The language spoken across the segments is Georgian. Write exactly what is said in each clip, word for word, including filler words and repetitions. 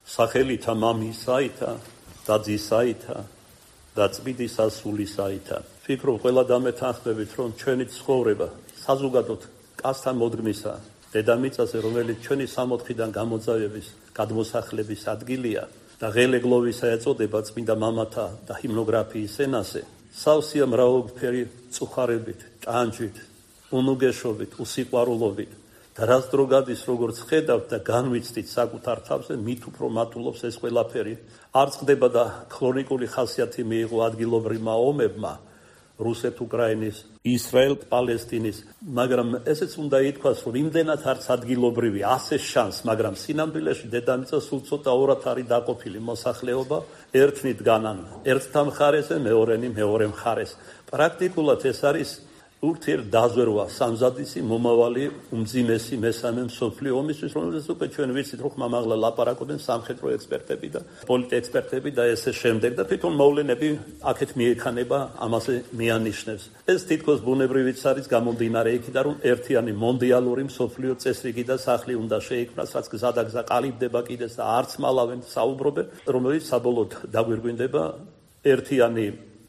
სახელითა მამისაითა და ძისაითა და წმინდის ასულისაითა. ვფიქრობ, ყველა დამეთანხმებით, რომ ჩვენი ცხოვრება საზოგადოდ კაცთან მოდგმისა დედამიწაზე, რომელიც ჩვენი სამოთხიდან გამოძავების გადმოსახლების ადგილია და ღელეგლოვისა ეწოდება წმინდა მამათა და ჰიმნოგრაფიის ენაზე, სავსეა მრავალფერი წუხარებით, ჭანჭით, უნუგეშობით, უსიყვარულობით და რაც დრო გადის, როგორც ხედავთ და განვიცდით საკუთარ თავზე, მით უფრო მატულობს ეს ყველაფერი. არ წყდება და ქრონიკული ხასიათი მიიღო ადგილობრივმა ომებმა, რუსეთ-უკრაინის, ისრაელ-პალესტინის, მაგრამ ესეც უნდა ითქვას, რომ იმდენად არც ადგილობრივი ასე შანს, მაგრამ სინამდვილეში დედამიწა სულ ცოტა ორად არის დაყოფილი მოსახლეობა, ერთნით განან ერთთა მხარეზე, მეორენი მეორე მხარეს. პრაქტიკულად ეს არის ურთიერთდაზვერვა სამზადისი მომავალი უმძიმესი მესამე მსოფლიო ომისთვის, რომელზეც უკვე ჩვენ ვიცით, რომ ხმამაღლა ლაპარაკობენ სამხედრო ექსპერტები და პოლიტექსპერტები და ესე შემდეგ და თვითონ მოვლენები აქეთ მიექანება, ამაზე მიანიშნებს. ეს თითქოს ბუნებრივიც არის გამომდინარე იქიდან, რომ ერთიანი მონდიალური მსოფლიო წესრიგი და სახლი უნდა შეიქმნას, რაც გზადაგზა ყალიბდება კიდეც და არც მალავენ საუბრობენ, რომელიც საბოლოოდ დაგვირგვინდება ერთიანი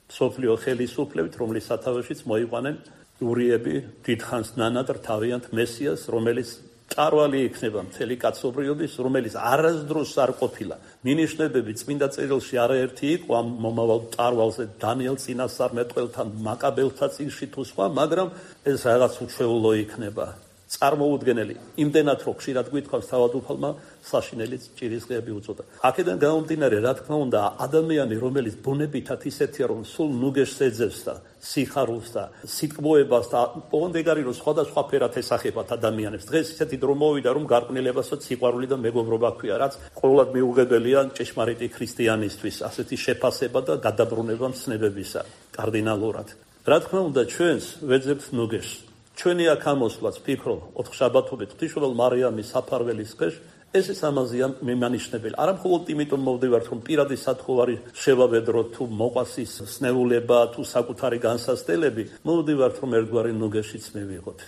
მსოფლიო ხელისუფლებით, რომლის სათავეშიც მოიყვანენ ურიები დიდხანს ნანად რთავიანთ მესიას, რომელიც მწვავალი იქნება მთელი კაცობრიობის, რომელიც არასდროს არ ყოფილა. მინიშნებები წმინდა წერილში არაერთი იყო ამ მომავალ მწვავალზე, დანიელ წინასწარმეტყველთან, მაკაბელთა წიგნში თუ სხვა, მაგრამ ეს რაღაც უჩვეულო იქნება. წარმოუდგენელი, იმდენად რომ ხშირად გვითხოვს თავადუფალმა საშინელი ჭირისყრები უწოდა. აქედან გამომდინარე, რა თქმა უნდა, ადამიანი, რომელიც ბუნებითად ისეთია, რომ სულ ნუგეშს ეძებს და სიხარულს და სიტყვოებას და ოღონდ ეგ არის, რომ სხვადასხვა ფერად ესახებათ ადამიანებს. დღეს ისეთი დრო მოვიდა, რომ გარყვნილებასაც სიყვარული და მეგობრობა ჰქვია, რაც ყოველად მიუღებელია ჭეშმარიტი ქრისტიანისთვის, ასეთი შეფასება და გადაბრუნება მცნებებისა კარდინალურად. რა თქმა უნდა, ჩვენს ვეძებთ ნუგეშს. ჩვენი აქ ამოსვლაც, ვფიქრობ, ოთხშაბათობით ღვთისმშობელ მარიამის საფარველის დღეში, ეს ის ამაზეა მიმანიშნებელი. არა მხოლოდ იმიტომ მოვდივართ, რომ პირადი სათხოვარი შევავედროთ, თუ მოყვასის სნეულება, თუ საკუთარი განსასწრებელი, მოვდივართ, რომ ერთგვარი ნუგეშიც მივიღოთ,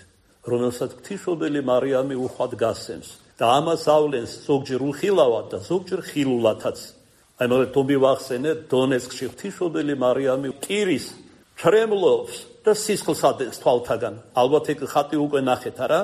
რომელსაც ღვთისმშობელი მარიამი უხვად გასცემს და ამას ავლენს ზოგჯერ უხილავად და ზოგჯერ ხილულათაც. აი, მოგეთ თომი ვახსენეთ, დონეცკში ღვთისმშობელი მარიამი კირის ჩრემლობს და სისხლს ადეს თვალთაგან. ალბათ ეგ ხატი უკვე ნახეთ, არა?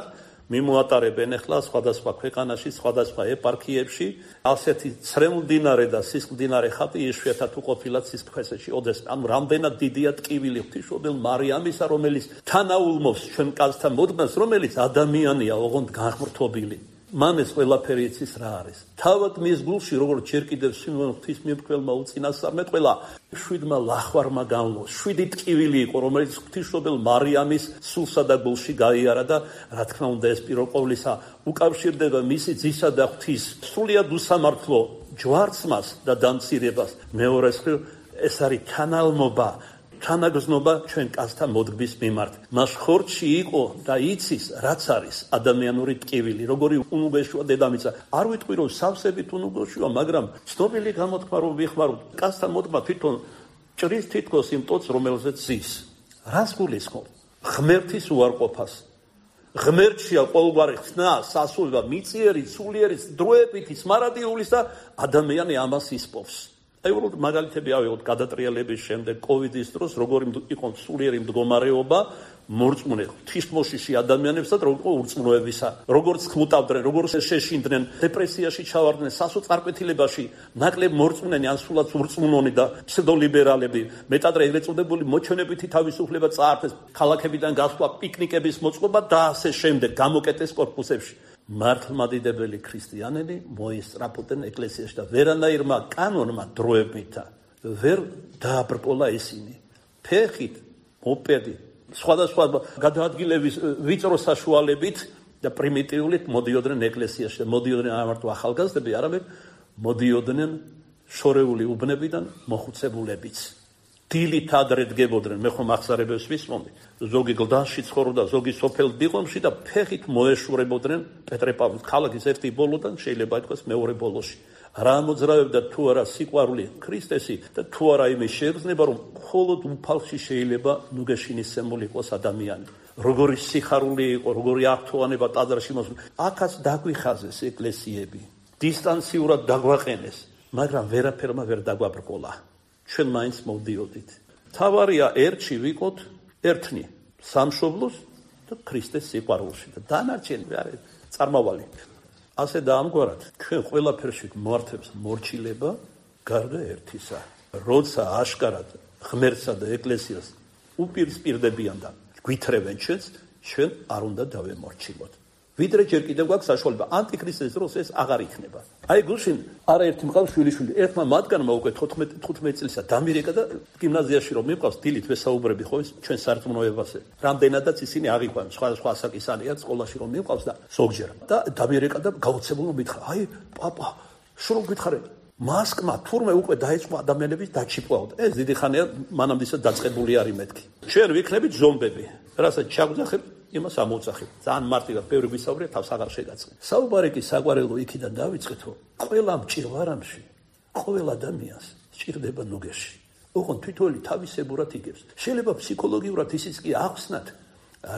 მიმოატარებენ ახლა სხვადასხვა ქვეყანაში, სხვადასხვა ეპარქიებში, ასეთი ცრემლდინარე და სისხლდინარე ხატი იშვიათად უყოფილად სისხლქვესეში ოდესმე. ანუ რამდენად დიდია ტკივილი ღვთისმშობელ მარიამისა, რომელიც თანაულმობს ჩვენ კაცთა მოდგმას, რომელიც ადამიანია, ოღონდ განღმრთობილი. მან ეს ყველაფერი იცის რა არის. თავად მის გულში, როგორც ჯერ კიდევ სიმონ ღვთისმეტყველმა უწინასწარმეტყველა, შვიდმა ლახვარმა განვლო, შვიდი ტკივილი იყო, რომელიც ღვთისმშობელ მარიამის სულსა და გულში გაიარა და რა თქმა უნდა, ეს პირველ ყოვლისა უკავშირდება მისი ძისა და ღვთის სრულიად უსამართლო ჯვარცმას და დამცირებას. მეორე მხრივ, ეს არის თანალმობა, თანაგზნობა ჩვენ კაცთა მოდგმის მიმართ. მას ხორცში იყო და იცის, რაც არის ადამიანური ტკივილი, როგორი უნუგეშოა დედამიწა. არ ვიტყვი, რომ სავსებით უნუგეშოა, მაგრამ ცნობილი გამოთქმა, რომ ვიხმაროთ, კაცთა მოდგმა თვითონ ჭრის თითქოს იმ ტოტს, რომელზეც ზის. რას გულისხმობ? ღმერთის უარყოფას. ღმერთშია ყოველგვარი ხსნა, სასულება, მიწიერი, სულიერი, დროებითი, სმარადიულის და ადამიანი ამას ისპოვს. აი, უბრალოდ მაგალითები ავიღოთ გადატრიალების შემდეგ, კოვიდის დროს, როგორი იყო სულიერი მდგომარეობა, მორწმუნე ღვთისმოშიში ადამიანებსა და როგორ ურწმუნოებისა, როგორც ხმუტავდნენ, როგორც შეშინდნენ, დეპრესიაში ჩავარდნენ, სასოწარკვეთილებაში, ნაკლებ მორწმუნენი ან სულაც ურწმუნონი და ფსევდოლიბერალები, მეტადრე ეგრეთ წოდებული მოჩვენებითი თავისუფლება წაართეს, ქალაქებიდან გასვლა, პიკნიკების მოწყობა და ასე შემდეგ, გამოკეტეს კორპუსებში. მართლმადიდებელი ქრისტიანები მოისწრაფოდნენ ეკლესიაში და ვერანაირმა კანონმა დროებითა ვერ დააბრკოლა ისინი. ფეხით, მოპედით, სხვადასხვა გადაადგილების ვიწრო საშუალებით და პრიმიტიულით მოდიოდნენ ეკლესიაში. მოდიოდნენ არა მარტო ახალგაზრდები, არამედ მოდიოდნენ შორეული უბნებიდან მოხუცებულებიც. დილით ადრე დგებოდნენ, მე ხომ ახსარებებს ვისმომდი, ზოგი გლდანში ცხოვრობდა, ზოგი სოფელ დიღომში და ფეხით მოეშურებოდნენ პეტრე-პავლეს ქალაქის ერთი ბოლოდან, შეიძლება ითქვას მეორე ბოლოში. რა მოძრავებდა თუ არა სიყვარული ქრისტესი და თუ არა იმის შეგრძნება, რომ მხოლოდ უფალში შეიძლება ნუგეშინისმული იყოს ადამიანი. როგორი სიხარული იყო, როგორი ართოვანება ტაძარში მოსული. აქაც დაგვიხაზეს ეკლესიები. დისტანციურად დაგვაყენეს, მაგრამ ვერაფერმა ვერ დაგვაბრკოლა. ჩვენ მაინც მოვდიოდით. თავარია ერთში ვიყოთ ერთნი სამშობლოს და ქრისტეს სიყვარულში და დანარჩენი არის წარმავალი. ასე და ამგვარად ჩვენ ყველაფერში მართებს მორჩილება გარდა ერთისა. როცა აშკარად ღმერთსა და ეკლესიას უპირისპირდებიან და გვითრევენ ჩვენს, ჩვენ არ უნდა დავემორჩილოთ. ვიდრე ჯერ კიდევ გვაქვს საშუალება ანტიქრისტეს დროს ეს აღარ იქნება. აი გუშინ არაერთი მყავს შვილიშვილი, ერთმა მათგანმა უკვე თხუთმეტ წელსა დამირეკა და გიმნაზიაში რომ მიყავს დილით ვესაუბრები ხო ის ჩვენ სარწმუნოებაზე. რამდენადაც ისინი აღიქვან სხვა სხვა ასაკისანია სკოლაში რომ მიყავს და ზოგჯერ და დამირეკა და გაოცებულო მითხრა, აი პაპა, შრომ გითხარებ, მასკმა თურმე უკვე დაიწყო ადამიანების დაჩიპვაოდ. ეს დიდი ხანია მანამდესაც დაწყებული არის მეთქი. ჩვენ ვიქნებით ზომბები, რასაც ჩაგვძახებ იმას ამოუძახებ. ძალიან მარტივად ბევრი გვისაუბრია, თავს აღარ შეგაწყენ. საუბარი კი საყვარელო იქიდან დავიწყეთ, რომ ყველა მჭირვარამში, ყოველ ადამიანს სჭირდება ნუგეში. ოღონდ თითოეული თავისებურად იგებს. შეიძლება ფსიქოლოგიურად ისიც კი ახსნათ,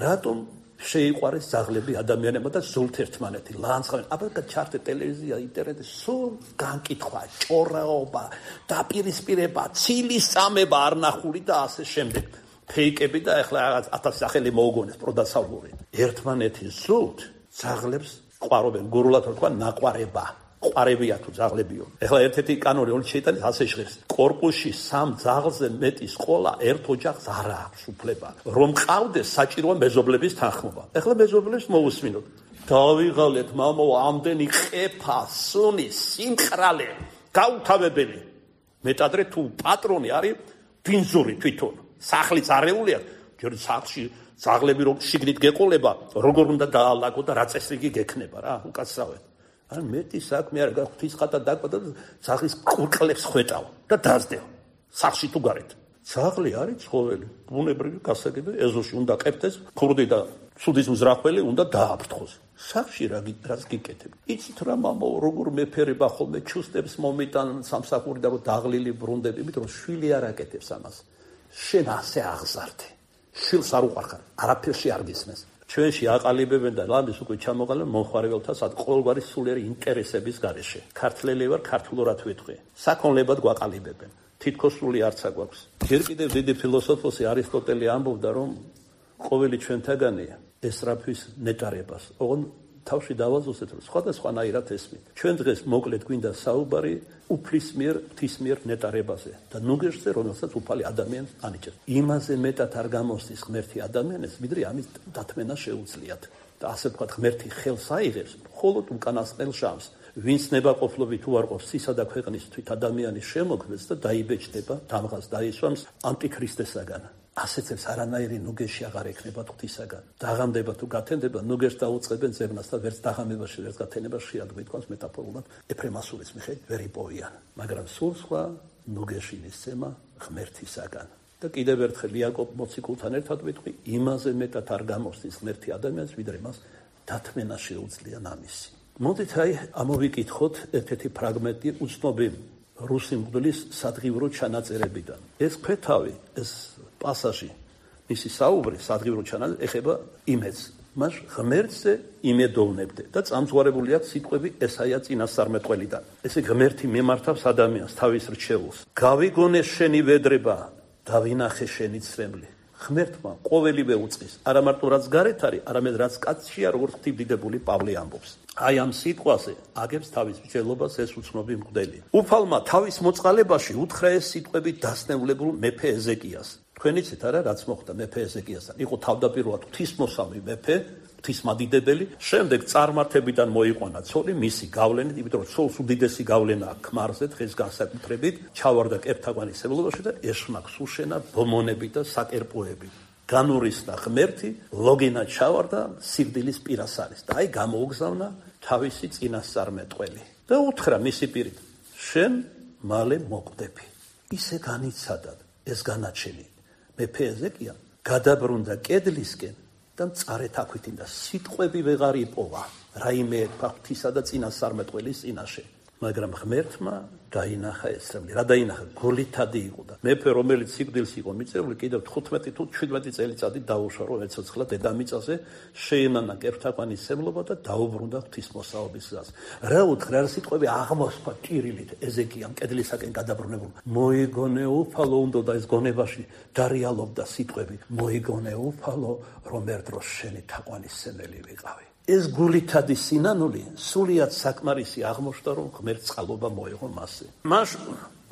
რატომ შეიყვარეს ძაღლები ადამიანებმა და სულთ ერთმანეთი ლანძღავენ. აბა ჩართე ტელევიზია, ინტერნეტი, სულ განკითხვა, ჭორაობა, დაპირისპირება, ცილის წამება არ ნახული და ასე შემდეგ. ფეიკები და ახლა რაღაც ათასი სახელი მოუგონეს პროდასალური. ერთმანეთის სულთ ძაღლებს ყვარობენ, გურულად თქვა ნაყვარება. ყვარებია თუ ძაღლებიო. ახლა ერთ-ერთი კანონი ორი შეიტანის ასე ჟღერს. კორპუსში სამ ძაღლზე მეტი სკოლა ერთ ოჯახს არ აქვს უფლება. რომ ყავდეს საჭიროა მეზობლების თანხმობა. ახლა მეზობლებს მოусმინოთ. დავიღალეთ მამო ამდენი ყეფა, სუნი, სიმყრალე, გაუთავებელი. მეტადრე თუ პატრონი არის ბინზური თვითონ. სახლის არეულია, ჯერ სახლში ძაღლები რომ შიგნით გეყოლება, როგორ უნდა დაალაგო და რა წესრიგი გექნება რა, უკაცრავად. ან მეტი საქმე არ გაგვთვის ხატა დაკვა და ძაღლის ყურკლებს ხვეტავ და დაძდევ. სახლში თუ გარეთ. ძაღლი არის ცხოველი, ბუნებრივი გასაგები, ეზოში უნდა ყებდეს, ქურდი და ცუდის მზრახველი უნდა დააფრთხოს. სახლში რა რას გიკეთებ? იცით რა მამო, როგორ მეფერება ხოლმე ჩუსტებს მომიტან სამსახური და რომ დაღლილი ბრუნდები, იმიტომ რომ შვილი არ აკეთებს ამას. შენ ასე აღზარდე. შვილს არ უყარხარ, არაფერში არ გისმენს. ჩვენში აყალიბებენ და ლამის უკვე ჩამოყალიბებენ მომხარებელთა სად ყოველგვარი სულიერი ინტერესების გარეშე. ქართველი ვარ, ქართულურად ვიტყვი. საქონლებად გვაყალიბებენ. თითქოს სული არც აგვაქვს. ჯერ კიდევ დიდი ფილოსოფოსი არისტოტელი ამბობდა, რომ ყოველი ჩვენთაგანი ესწრაფვის ნეტარებას. ოღონდ თავში დავაზუსტეთ, რომ სხვადასხვანაირად ესმით. ჩვენ დღეს მოკლედ გვინდა საუბარი უფლის მიერ, ღვთის მიერ ნეტარებაზე და ნუგეშზე, რომელსაც უფალი ადამიანს ანიჭებს. იმაზე მეტად არ გამოსდის ღმერთი ადამიანებს, ვიდრე ამის დათმენა შეუძლიათ. და ასე ვთქვათ, ღმერთი ხელს აიღებს მხოლოდ უკანასკნელ შამს. ვინც ნებაყოფლობით უარყოფს ცისა და ქვეყნის თვით ადამიანის შემოქმედს და დაიბეჭდება, დამღას დაისვამს ანტიქრისტესაგან. ასეცებს არანაირი ნუგეში აღარ ექნება ღვთისაგან. დაღამდება თუ გათენდება, ნუგეშს დაუწყებენ ზევნას და ვერც დაღამებაში, ვერც გათენებაში არ გვიტყვანს მეტაფორულად ეფრემასურის მიხედვით ვერ იპოვიან. მაგრამ სულ სხვა ნუგეში მისცემა ღმერთისაგან. და კიდევ ერთხელ იაკობ მოციქულთან ერთად ვიტყვი, იმაზე მეტად არ გამოსდის ღმერთი ადამიანს, ვიდრე მას დათმენა შეუძლია ნამისი. მოდით აი ამოვიკითხოთ ერთ-ერთი ფრაგმენტი უცნობი რუსი მღვდლის სადღივრო ჩანაწერებიდან. ეს ქვეთავი, ეს პასაჟი, მისი საუბრი სადღივრო ჩანაწერი ეხება იმედს. მას ღმერთზე იმედოვნებდე და წამსვარებული აქვს სიტყვები ესაია წინასწარმეტყველიდან. ესე ღმერთი მიმართავს ადამიანს თავის რჩეულს. გავიგონე შენი ვედრება, დავინახე შენი ცრემლი. ღმერთმა ყოველივე უწყის, არა მარტო რაც გარეთ არის, არამედ რაც კაცშია, როგორც ღვთისმდიდრებული პავლე ამბობს. აი ამ სიტყვაზე აგებს თავის მსჯელობას ეს უცნობი მღვდელი. უფალმა თავის მოწყალებაში უთხრა ეს სიტყვები დასნევლებულ მეფე ეზეკიას. თქვენ იცით არა რაც მოხდა მეფე ეზეკიასთან? იყო თავდაპირველად ღვთისმოსავი მეფე, ღვთისმადიდებელი, შემდეგ წარმართებიდან მოიყვანა ცოლი მისი გავლენით, იმიტომ რომ ცოლს უდიდესი გავლენა აქვს ქმარზე დღეს განსაკუთრებით, ჩავარდა კეფთაგვანისებლობაში და ეშმაკს უშენა ბომონები და საკერპოები. განურისდა ღმერთი, ლოგინა ჩავარდა სიკვდილის პირას არის და აი გამოუგზავნა თავისი წინასწარმეტყველი და უთხრა მისი პირით, შენ მალე მოკვდები. ისე განიცადა ეს განაჩენი მეფე ეზეკია გადაბრუნდა კედლისკენ და მწარეთ აქვითინდა, სიტყვები ვეღარ იპოვა რაიმე ღვთისა და წინასწარმეტყველის წინაშე. მაგრამ ღმერთმა დაინახა ესრემლი. რა დაინახა? გულითადი იყო და მეფე, რომელიც სიკვდილს იყო მიწეული, კიდევ თხუთმეტი თუ შვიდმეტი წელიწადი დაუშვა, რომ ეცოცხლა დედამიწაზე, შეენანა კეფთაყვანის სემლობა და დაუბრუნდა ღვთისმოსაობის გზას. რა უთხრა, რა სიტყვები აღმოსხვა ჭირილით ეზეკიამ კედლისაკენ გადაბრუნებულ. მოიგონე უფალო უნდა და ეს გონებაში დარიალობდა სიტყვები. მოიგონე უფალო, რომ ერთ დროს შენი თაყვანის სემელი ვიყავი. ეს გულითადი სინანული სულიად საკმარისი აღმოჩნდა, რომ ღმერთს წყალობა მოეღო მასზე. მას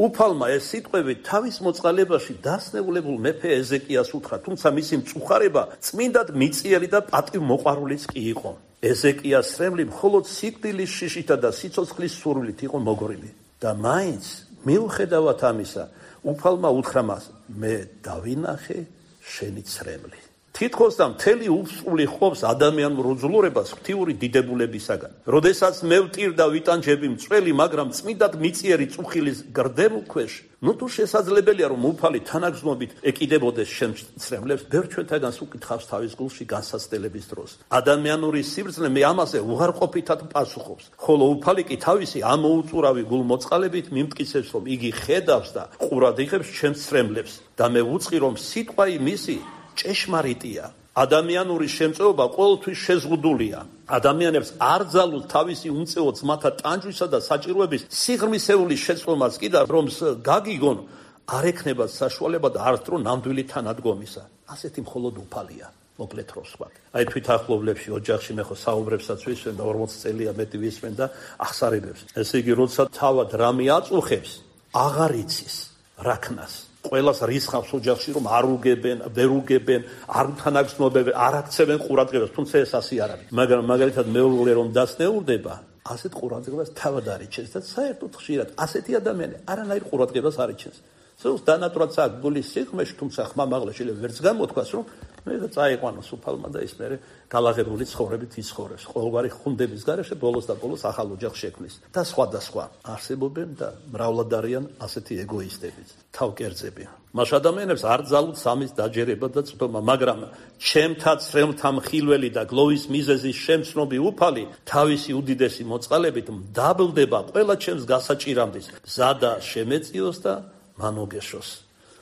უფალმა ეს სიტყვები თავის მოწყალებაში დასნეულებულ მეფე ეზეკიას უთხრა, თუმცა მისი მწუხარება წმინდად მიწიელი და პატივმოყვარულიც კი იყო. ეზეკიას სრემლი მხოლოდ სიკვდილის შიშითა და სიცოცხლის სურვილით იყო მოგრილი და მაინც მიუხედავად ამისა უფალმა უთხრა მას, მე დავინახე შენი სრემლი. თითქოს და მთელი უსწული ხოვს ადამიანურ უძლურებას ღვთიური დიდებულებისაგან. როდესაც მე ვტირ და ვიტანჯები მწველი, მაგრამ წმინდად მიწიერი წუხილის გრდემულ ქვეშ, ნუ თუ შესაძლებელია რომ უფალი თანაგრძნობით ეკიდებოდეს შენ სრემლებს, ბევრ ჩვენთაგანს უკითხავს თავის გულში განსაცდელების დროს. ადამიანური სიბრძნე მე ამაზე უარყოფითად პასუხობს, ხოლო უფალი კი თავისი ამოუწურავი გულმოწყალებით მიმტკიცებს, რომ იგი ხედავს და ყურად იღებს შენ სრემლებს და მე ვუწყი რომ სიტყვა იმისი ჭეშმარიტია. ადამიანური შემწეობა ყოველთვის შეზღუდულია. ადამიანებს არ ძალუთ თავისი უმწეო ძმათა ტანჯვისა და საჭიროების სიღრმისეული შეცვლომაც კი და რომ გაგიგონ არ ექნებათ საშუალება და არც დრო ნამდვილი თანადგომისა. ასეთი მხოლოდ უფალია. მოკლედ რო ვსვათ. აი თვითახლობლებში ოჯახში მე ხო საუბრებსაც ვისმენ და ორმოცი წელია მეტი ვისმენ და ახსარებებს. ესე იგი როცა თავად რამე აწუხებს, აღარ იცის რაქნას. ყველას რისხავს ოჯახში რომ არ უგებენ, ვერ უგებენ, არ თანაგრძნობენ, არ აქცევენ ყურადღებას, თუმცა ეს ასე არ არის. მაგრამ მაგალითად მეუღლე რომ დასნეულდება, ასეთ ყურადღებას თავად არიჩენს და საერთოდ ხშირად ასეთი ადამიანი არანაირ ყურადღებას არიჩენს. სულს დანატრად აქვს გულის სიღრმეში, თუმცა ხმამაღლა შეიძლება ვერც გამოთქვას, რომ მე და წაიყვანოს უფალმა და ის მერე გალაღებული ცხოვრებით იცხოვრებს. ყოველგვარი ხუნდების გარეშე ბოლოს და ბოლოს ახალ ოჯახს შექმნის და სხვადასხვა არსებობენ და მრავლად არიან ასეთი ეგოისტებიც, თავკერძები. მას ადამიანებს არ ძალუთ სამის დაჯერება და წვდომა, მაგრამ ჩემთა სრემლთა მხილველი და გლოვის მიზეზის შემცნობი უფალი თავისი უდიდესი მოწყალებით მდაბლდება ყველა ჩემს გასაჭირამდის, მზადა შემეწიოს და მანოგეშოს.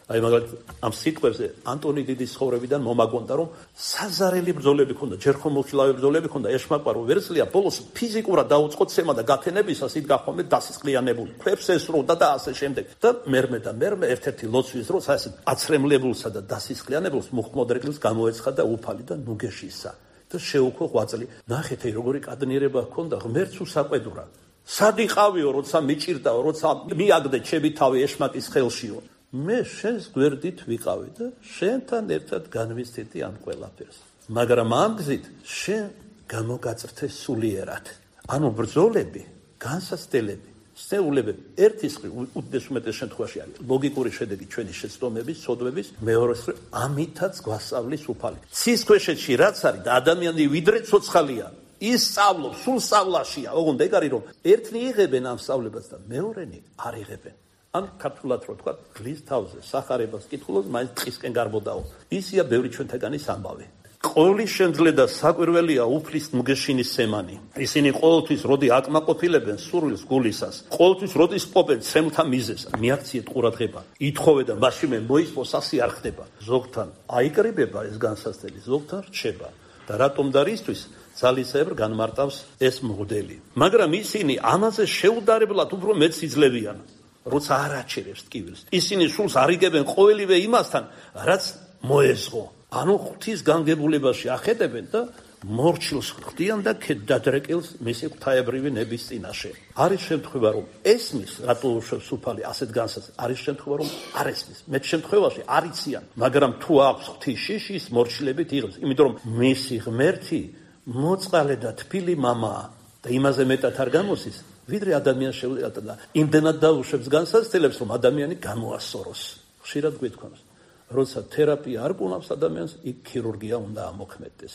აი მაგალითად ამ სიტყვებზე ანტონი დიდის ცხოვრებიდან მომაგონდა, რომ საზარელი ბრძოლები ქონდა, ჯერ ხომ მოხილავე ბრძოლები ქონდა, ეშმაკპარო ვერძლია ბოლოს ფიზიკურად დაუწყო ცემა და გათენებისას იქ გახომე დასისყლიანებული, ქვებს ესროდა და ასე შემდეგ. და მერმე და მერმე ერთ-ერთი ლოცვის დროს ასე აცრემლებულსა და დასისყლიანებულს მუხმოდრეკილს გამოეცხა და უფალი და ნუგეშისა და შეუქო ღვაწლი. ნახეთ როგორი კადნიერება ჰქონდა, ღმერთს უსაყვედურა. სად იყავიო, როცა მიჭირდაო, როცა მიაგდე ჩემი თავი ეშმაკის ხელშიო. მე შენს გვერდით ვიყავი და შენთან ერთად განვიცდიდი ამ ყველაფერს. მაგრამ ამ გზით შენ გამოგაწრთე სულიერად. ანუ ბრძოლები, განსაცდელები, სეულებები ერთის მხრივ უდიდეს უმეტეს შემთხვევაში არის ლოგიკური შედეგი ჩვენი შეცდომების, ცოდვების, მეორეს მხრივ ამითაც გვასწავლის უფალი. ცის ქვეშეთში რაც არის და ადამიანი ვიდრე ცოცხალია, ის სწავლობს, სულ სწავლაშია. ოღონდ ეგ არის რომ ერთნი იღებენ ამ სწავლებას და მეორენი არ იღებენ. ან ქართულად რო თქვა, გლის თავზე სახარებას კითხულობს, მაინც ტყისკენ გარბოდაო. ისია ბევრი ჩვენთაგანის ამბავი. ყოვლის შემძლე და საკვირველია უფლის ნუგეშინის სემანი. ისინი ყოველთვის როდი აკმაყოფილებენ სურვილს გულისას, ყოველთვის როდის პოპენ სემთა მიზეს, მიაქციეთ ყურადღება, ითხოვე და მაშინ მე მოისმოს ასე არ ხდება. ზოგთან აიკრიბება ეს განსაცდელი, ზოგთან რჩება. და რატომ და რისთვის ძალისებრ განმარტავს ეს მოდელი. მაგრამ ისინი ამაზე შეუდარებლად უფრო მეც იძლებიან. როცა არ აჩერებს ტკივილს. ისინი სულს არ იგებენ ყოველივე იმასთან, რაც მოეზღო. ანუ ღვთის განგებულებაში ახედებენ და მორჩილს ხვდიან და ქედადრეკილს მისი ღვთაებრივი ნების წინაშე. არის შემთხვევა, რომ ესმის, რატო უშვებს უფალი ასეთ განსაცდელს, არის შემთხვევა, რომ არ ესმის. მეტ შემთხვევაში არ იციან, მაგრამ თუ აქვს ღვთის შიშის, მორჩილებით იღებს, იმიტომ რომ მისი ღმერთი მოწყალე და თბილი მამაა და იმაზე მეტად არ გამოსის. ვიდრე ადამიანს შეუძლია და იმდენად დაუშვებს განსაცდელებს, რომ ადამიანი გამოასწოროს. ხშირად გვითქვამს, როცა თერაპია არ კუნავს ადამიანს, იქ ქირურგია უნდა ამოქმედდეს.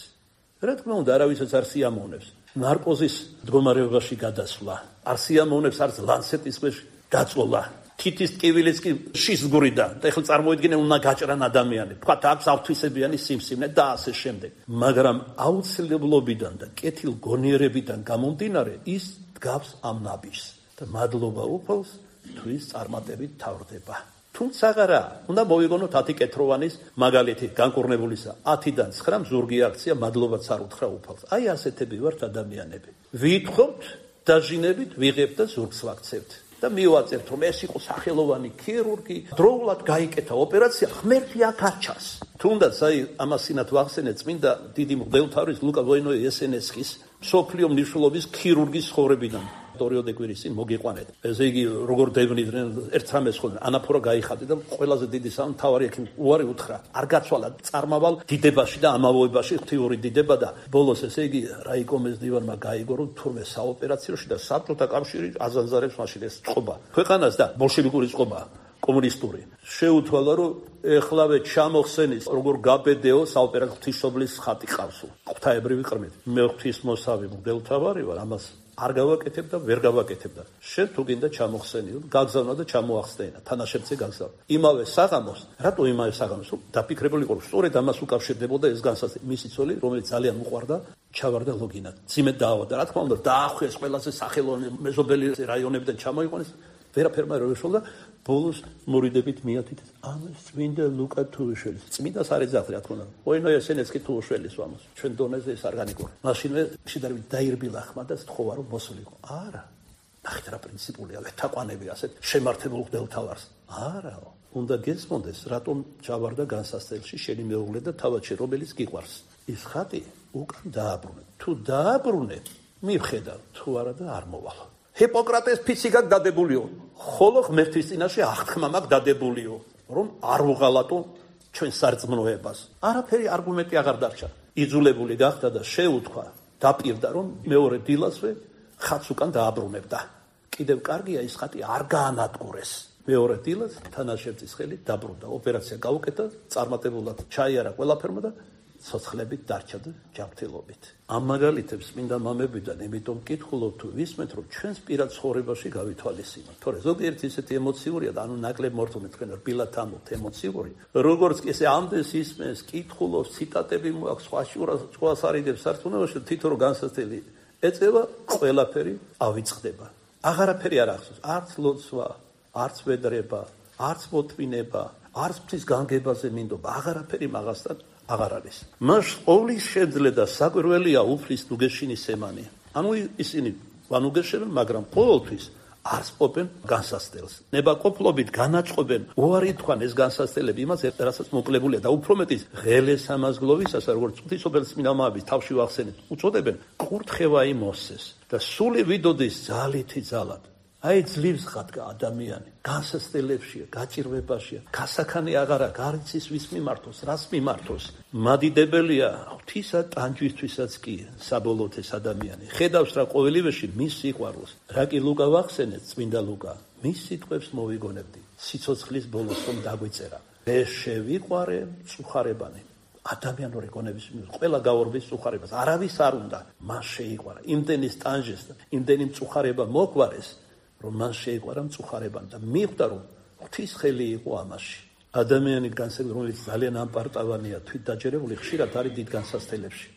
რა თქმა უნდა, არავისაც არ სიამოვნებს ნარკოზის მდგომარეობაში გადასვლა, არ სიამოვნებს არც ლანცეტის ქვეშ დაწოლა, თითის ტკივილიც კი შისგურიდან. და ეხლა წარმოიდგინე, უნდა გაჭრან ადამიანი, თქვათ აქვს ავთვისებიანი სიმსივნე და ასე შემდეგ. მაგრამ აუცილებლობიდან და კეთილ გონიერებიდან გამომდინარე ის გავს ამ ნაბიჯს და მადლობა უფალს თუ ის წარმატებით თავრდება. თუმცა რა, უნდა მოვიგონოთ ათი კეთროვანის მაგალითი განკურნებულისა. ათიდან ცხრამ ზურგი აქცია მადლობაც არ უთხრა უფალს. აი ასეთები ვართ ადამიანები. ვითხოვთ, დაჟინებით, ვიღებთ და ზურგს ვაქცევთ. და მივაწევთ, რომ ეს იყო სახელოვანი ქირურგი, დროულად გაიკეთა ოპერაცია, ღმერთი აქ არ ჩანს. თუნდაც აი ამასინათ ვახსენეთ წმინდა დიდი მღვდელმთავრის ლუკა ვოინო-ესენესკის მსოფლიო მნიშვნელობის ქირურგის ცხოვრებიდან. პერიოდე კვირის წინ მოგიყვანეთ. ესე იგი, როგორ დევნიდნენ ერთ რამეს ხოლმე, ანაფორა გაიხადა და ყველაზე დიდი სამთავარი ექიმი უარი უთხრა. არ გაცვალა წარმავალ დიდებაში და ამავოებაში ღვთიური დიდება და ბოლოს ესე იგი რაიკომეს დივანმა გაიგო, რომ თურმე საოპერაციოში და საბჭოთა კავშირი აზანზარებს მაშინ ეს წყობა. ქვეყანას და ბოლშევიკური წყობა კომუნისტური. შეუთვალა, რომ ეხლავე ჩამოხსენის, როგორ გაბედეო საოპერაციო ღვთისმშობლის ხატი ყავს. ღვთაებრივი ყრმით. მე ღვთისმოსავი მღვდელმთავარი ვარ, ამას არ გავაკეთებ და ვერ გავაკეთებ და შენ თუ გინდა ჩამოხსენიო, გაგზავნა და ჩამოახსენა, თანაშემწე გაგზავნა. იმავე საღამოს, რატო იმავე საღამოს? დაფიქრებული იყო, სწორედ ამას უკავშირდებოდა ეს განსაზღვრება. მისი ცოლი, რომელიც ძალიან უყვარდა, ჩავარდა ლოგინად. ძიმედ დაავადდა, რა თქმა უნდა, დაახვიეს ყველაზე სახელოვანი მეზობელი რაიონებიდან ჩამოიყვანეს. ვერაფერმა ვერ შეშოლა, ბოლოს მორიდებით მიათით ამას წმინდა ლუკა თუაშვილის. წმინდას არ ეძახდა, რა თქმა უნდა. ვოინო-ესენესკი თუაშვილის ვამოს. ჩვენ დონეზე ეს არგანიკური. მაშინვე შედარებით დაირბილა ხმა და სთხოვა რომ მოსულიყო. არა. ნახეთ რა პრინციპულია, ვეთაყვანები ასეთ შემართებულ მღვდელმთავარს. არაო. უნდა გესმოდეს, რატომ ჩავარდა განსასწრელში შენი მეუღლე და თავადში რომელიც გიყვარს. ის ხატი უკან დააბრუნე. თუ დააბრუნე, მივხედავ, თუ არა და არ მოვალ. ჰიპოკრატეს ფიციკად დადებულიო, ხოლო ღმერთის წინაშე აღთქმა მაქვს დადებულიო, რომ არ უღალატო ჩვენ სარწმუნოებას. არაფერი არგუმენტი აღარ დარჩა. იძულებული გახდა და შეუთქვა, დაპირდა, რომ მეორე დილასვე ხატს უკან დააბრუნებდა. კიდევ კარგია ის ხატი არ გაანადგურეს. მეორე დილას თანაშემწის ხელით დაბრუნდა. ოპერაცია გაუკეთა, წარმატებულად ჩაიარა ყველაფერმა და ცოცხლებით დარჩა და ჯანმრთელობით. ამ მაგალითებს წმინდა მამებიდან იმიტომ მკითხულობ თუ ვისმენთ, რომ ჩვენს პირად ცხოვრებაში გავითვალისწინოთ. თორე ზოგიერთი ისეთი ემოციურია და ანუ ნაკლებ მორთული თქვენ რბილად ამბობთ ემოციური. როგორც კი ესე ამდენს ისმენს, კითხულობს, ციტატები მოაქვს, სხვა სხვას არიდებს სარწმუნოებაში, თითო რო განსაცდელი ეწევა, ყველაფერი ავიწყდება. აღარაფერი არ ახსოვს, არც ლოცვა, არც ვედრება, არც მოტვინება, არც ღვთის განგებაზე მინდობა, აღარაფერი მაგასთან აღარ არის. მას ყოვლის შეძლე და საკვირველია უფლის ნუგეშინის ემანი. ანუ ისინი ვანუგეშებენ, მაგრამ ყოველთვის არ სპობენ განსასწრელს. ნებაყოფლობით განაწყობენ, უარი თქვან ეს განსასწრელები იმას, რასაც მოკლებულია და უფრო მეტის ღელეს ამაზგლოვისას, როგორც ღვთისმშობლის წმინდა მამების თავში ვახსენეთ, უწოდებენ კურთხევა იმოსეს და სული ვიდოდეს ძალითი ძალად. აი ძლივს ხატკა ადამიანი, განსასწრებლებშია, გაჭირვებაშია, გასახანი აღარა, გარიცის ვის მიმართოს, რას მიმართოს. მადიდებელია ღვთისა ტანჯვისთვისაც კი საბოლოოდ ეს ადამიანი. ხედავს რა ყოველივეში მის სიყვარულს. რა კი ლუკა ვახსენეთ, წმინდა ლუკა, მის სიტყვებს მოვიგონებდი, სიცოცხლის ბოლოს რომ დაგვიწერა. ეს შევიყვარე მწუხარებანი. ადამიანური გონების მიერ ყველა გაორბის მწუხარებას, არავის არ უნდა, მას შეიყვარა. იმდენის ტანჯეს და იმდენი მწუხარება მოგვარეს, რომ მას შეიყვარა მწუხარებანი და მიხვდა, რომ ღვთის ხელი იყო ამაში. ადამიანი განსაკუთრებით, რომელიც ძალიან ამპარტავანია, თვით დაჯერებული, ხშირად არის დიდ განსასწრელებში.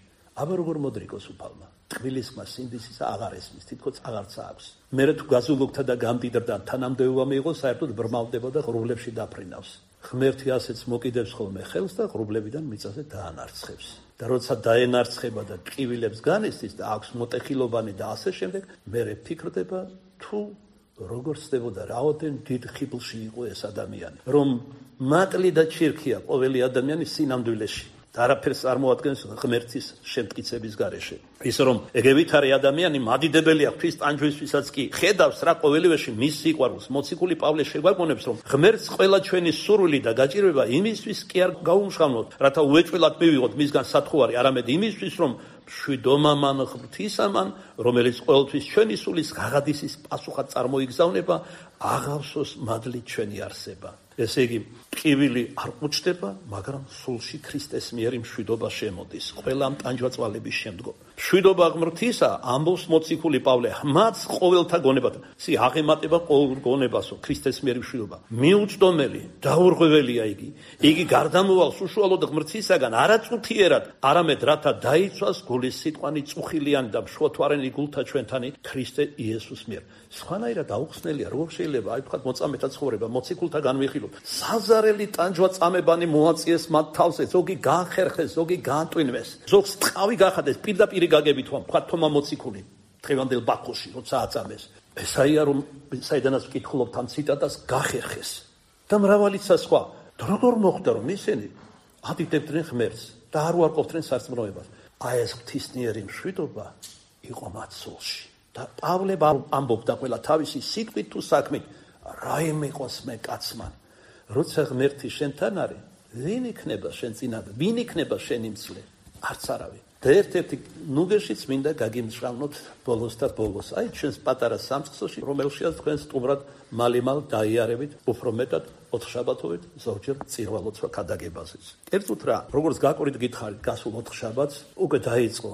აბა როგორ მოდრიკოს უფალმა. ტყვილის ხმა სინდისის აღარ ესმის, თითქოს აღარც აქვს. მერე თუ გაზულოგთა და გამდიდრდა თანამდებობა მიიღო, საერთოდ ბრმავდება და ღრუბლებში დაფრინავს. ღმერთი ასეც მოკიდებს ხოლმე ხელს და ღრუბლებიდან მიწაზე დაანარცხებს. და როცა დაენარცხება და ტყივილებს განესწის და აქვს მოტეხილობანი და ასე შემდეგ, მერე ფიქრდება თუ როგორ ხდებოდა რაოდენ დიდ ხიბლში იყო ეს ადამიანი, რომ მატლი და ჩირქია ყოველი ადამიანის სინამდვილეში და არაფერს არ მოადგენს ღმერთის შემტკიცების გარეშე. ის რომ ეგევითარი ადამიანი მადიდებელია ღვთის ტანჯვისთვისაც კი ხედავს რა ყოველივეში მის სიყვარულს. მოციქული პავლე შეგვაგონებს, რომ ღმერთს ყველა ჩვენი სურვილი და გაჭირვება იმისთვის კი არ გაუმშღავნოთ, რათა უეჭველად მივიღოთ მისგან სათხუარი, არამედ იმისთვის, რომ მშვიდომამან ღვთისამან, რომელიც ყოველთვის ჩვენი სულის ღაღადისის პასუხად წარმოიგზავნება, აღავსოს მადლით ჩვენი არსება. ესე იგი, ტკივილი არ ყვუჭდება, მაგრამ სულში ქრისტეს მიერი მშვიდობა შემოდის. ყველა ამ ტანჯვაწვალების შემდგომ. მშვიდობა ღმრთისა, ამბობს მოციქული პავლე, მათ ყოველთა გონებათა. სი აღემატება ყოველ გონებასო, ქრისტეს მიერი მშვიდობა. მიუწვდომელი, დაურღვეველია იგი. იგი გარდამოვალს უშუალოდ ღმრთისაგან, არა წუთიერად, არამედ რათა დაიცვას გულის სიტყვანი წუხილიანი და მშვათვარენი გულთა ჩვენთანი ქრისტე იესოს მიერ. სხვანაირად აუხსნელია, როგორ შეიძლება აი თქვა მოწამეთა ცხოვრება, მოციქულთა განვიხილოთ. საზარელი ტანჯვა წამებანი მოაწიეს მათ თავზე, ზოგი განხერხეს, ზოგი განტვინვეს, ზოგს ტყავი გახადეს, პირდაპირ გაგებით ვამ, თქვა თომა მოციქული, დღევანდელ ბაქოში, როცა აწამეს. ესაია რომ საიდანაც ვკითხულობთ ამ ციტატას, გახერხეს. და მრავალიცა სხვა. და როგორ მოხდა რომ ისინი ადიდებდნენ ღმერთს და არ უარყოფდნენ სარწმუნოებას. აი ეს ღვთისმიერი მშვიდობა იყო მათ სულში. და პავლე ამბობდა ყველა თავისი სიტყვით თუ საქმით, რაიმე იყოს მე კაცმან. როცა ღმერთი შენთან არის, ვინ იქნება შენ წინადად? ვინ იქნება შენი მცლე? არც არავინ. და ერთ-ერთი ნუგეშიც მინდა გაგიმსრავლოთ ბოლოს და ბოლოს. აი ჩვენს პატარა სამწყსოში, რომელშიც თქვენ სტუმრად მალიმალ დაიარებით, უფრო მეტად ოთხშაბათობით, ზოგჯერ წირვალოცვა ქადაგებაზეც. კერძოდ რა, როგორც გაკვირით გითხარით, გასულ ოთხშაბათს უკვე დაიწყო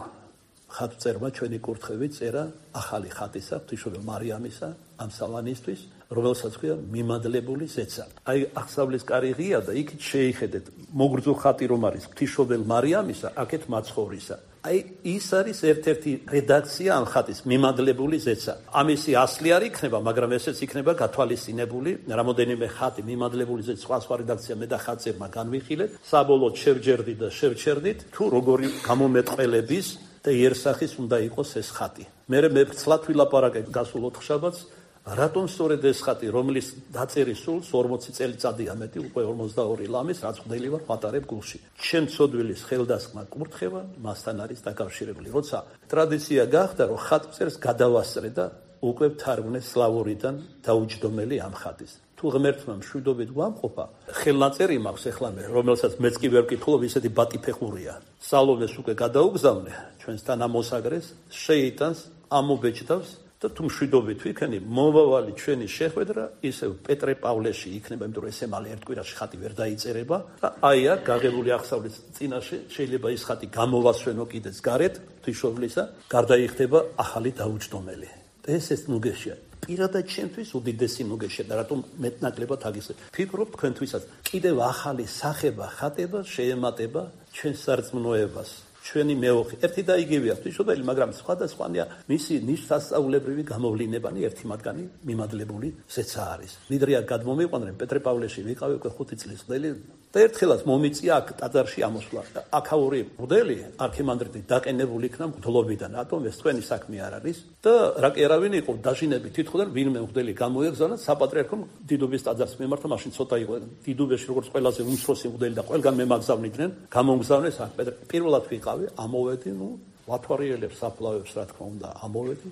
ხატწერმა ჩვენი კურთხევი წერა ახალი ხატისა, ღვთისმშობელ მარიამისა, ამსალანისთვის, რომელსაც ქვია მიმადლებული ზეცა. აი აღსავლის კარი ღია და იქით შეიხედეთ, მოგრძო ხატი რომ არის ღვთისმშობელ მარიამისა, აქეთ მაცხოვრისა. აი ის არის ერთ-ერთი რედაქცია ამ ხატის, მიმადლებული ზეცა. ამისი ასლი არ იქნება, მაგრამ ესეც იქნება გათვალისწინებული, რამოდენიმე ხატი მიმადლებული ზეცა, სხვა სხვა რედაქცია მე და ხატწერმა განვიხილეთ, საბოლოოდ შევჯერდით და შევჩერდით, თუ როგორი გამომეტყველების და იერსახის უნდა იყოს ეს ხატი. მე მე ცლად ვილაპარაკე გასულ ოთხშაბათს, რატომ სწორედ ეს ხატი, რომლის დაწერის სულს ორმოცი წელიწადია მეტი, უკვე ორმოცდაორი ლამის, რაც ხვდელი ვარ პატარებ გულში. ჩემ ცოდვილის ხელდასხმა კურთხევა მასთან არის დაკავშირებული. როცა ტრადიცია გახდა, რომ ხატწერს გადავასწრე და უკვე ვთარგმნე სლავურიდან დაუჯდომელი ამ ხატის. თუ ღმერთმა მშვიდობით გვამყოფა, ხელნაწერი მაქვს ეხლა მე, რომელსაც მეც კი ვერ ვკითხულობ, ისეთი ბატიფეხურია. სალომეს უკვე გადაუგზავნე, ჩვენს თანამოსაგრეს, შეიტანს, ამობეჭდავს და თუ მშვიდობით ვიქენი, მომავალი ჩვენი შეხვედრა ისევ პეტრე პავლეში იქნება, იმიტომ რომ ესე მალე ერთ კვირაში ხატი ვერ დაიწერება და აი აქ გაღებული აღსავლის წინაშე შეიძლება ის ხატი გამოვასვენო კიდეც გარეთ, ღვთისმშობლისა, გარდაიხდება ახალი დაუჯდომელი. და ეს ეს ნუგეშია. პირადად ჩემთვის უდიდესი ნუგეშია და რატომ მეტნაკლებად აგისე. ფიქრობ თქვენთვისაც კიდევ ახალი სახება, ხატება შეემატება ჩვენ სარწმუნოებას. ჩვენი მეოხი ერთი და იგივეა ღვთისმშობელი, მაგრამ სხვადასხვანია მისი ნიშნასწაულებრივი გამოვლინებანი, ერთი მათგანი მიმადლებული ზეცა არის. მიდრია გადმომიყვანდნენ პეტრე პავლეში ვიყავი უკვე ხუთი წლის ხდელი და ერთხელაც მომიწია აქ ტაძარში ამოსვლა. აქაური მღვდელი არქიმანდრიტი დაყენებული იქნა მღვდლობიდან, რატომ ეს თქვენი საქმე არ არის და რა კი არავინ იყო დაჟინები თითქოს ვინმე მღვდელი გამოიეგზავნა საპატრიარქომ დიდუბის ტაძარს მიმართა, მაშინ ცოტა იყო დიდუბეში როგორც ყველაზე უმცროსი მღვდელი და ყველგან მემაგზავნიდნენ, გამომგზავნეს აქ პეტრე პირველად ვიყავი, ამოვედი, ნუ ვათვალიერებს საფლავებს რა თქმა უნდა, ამოვედი,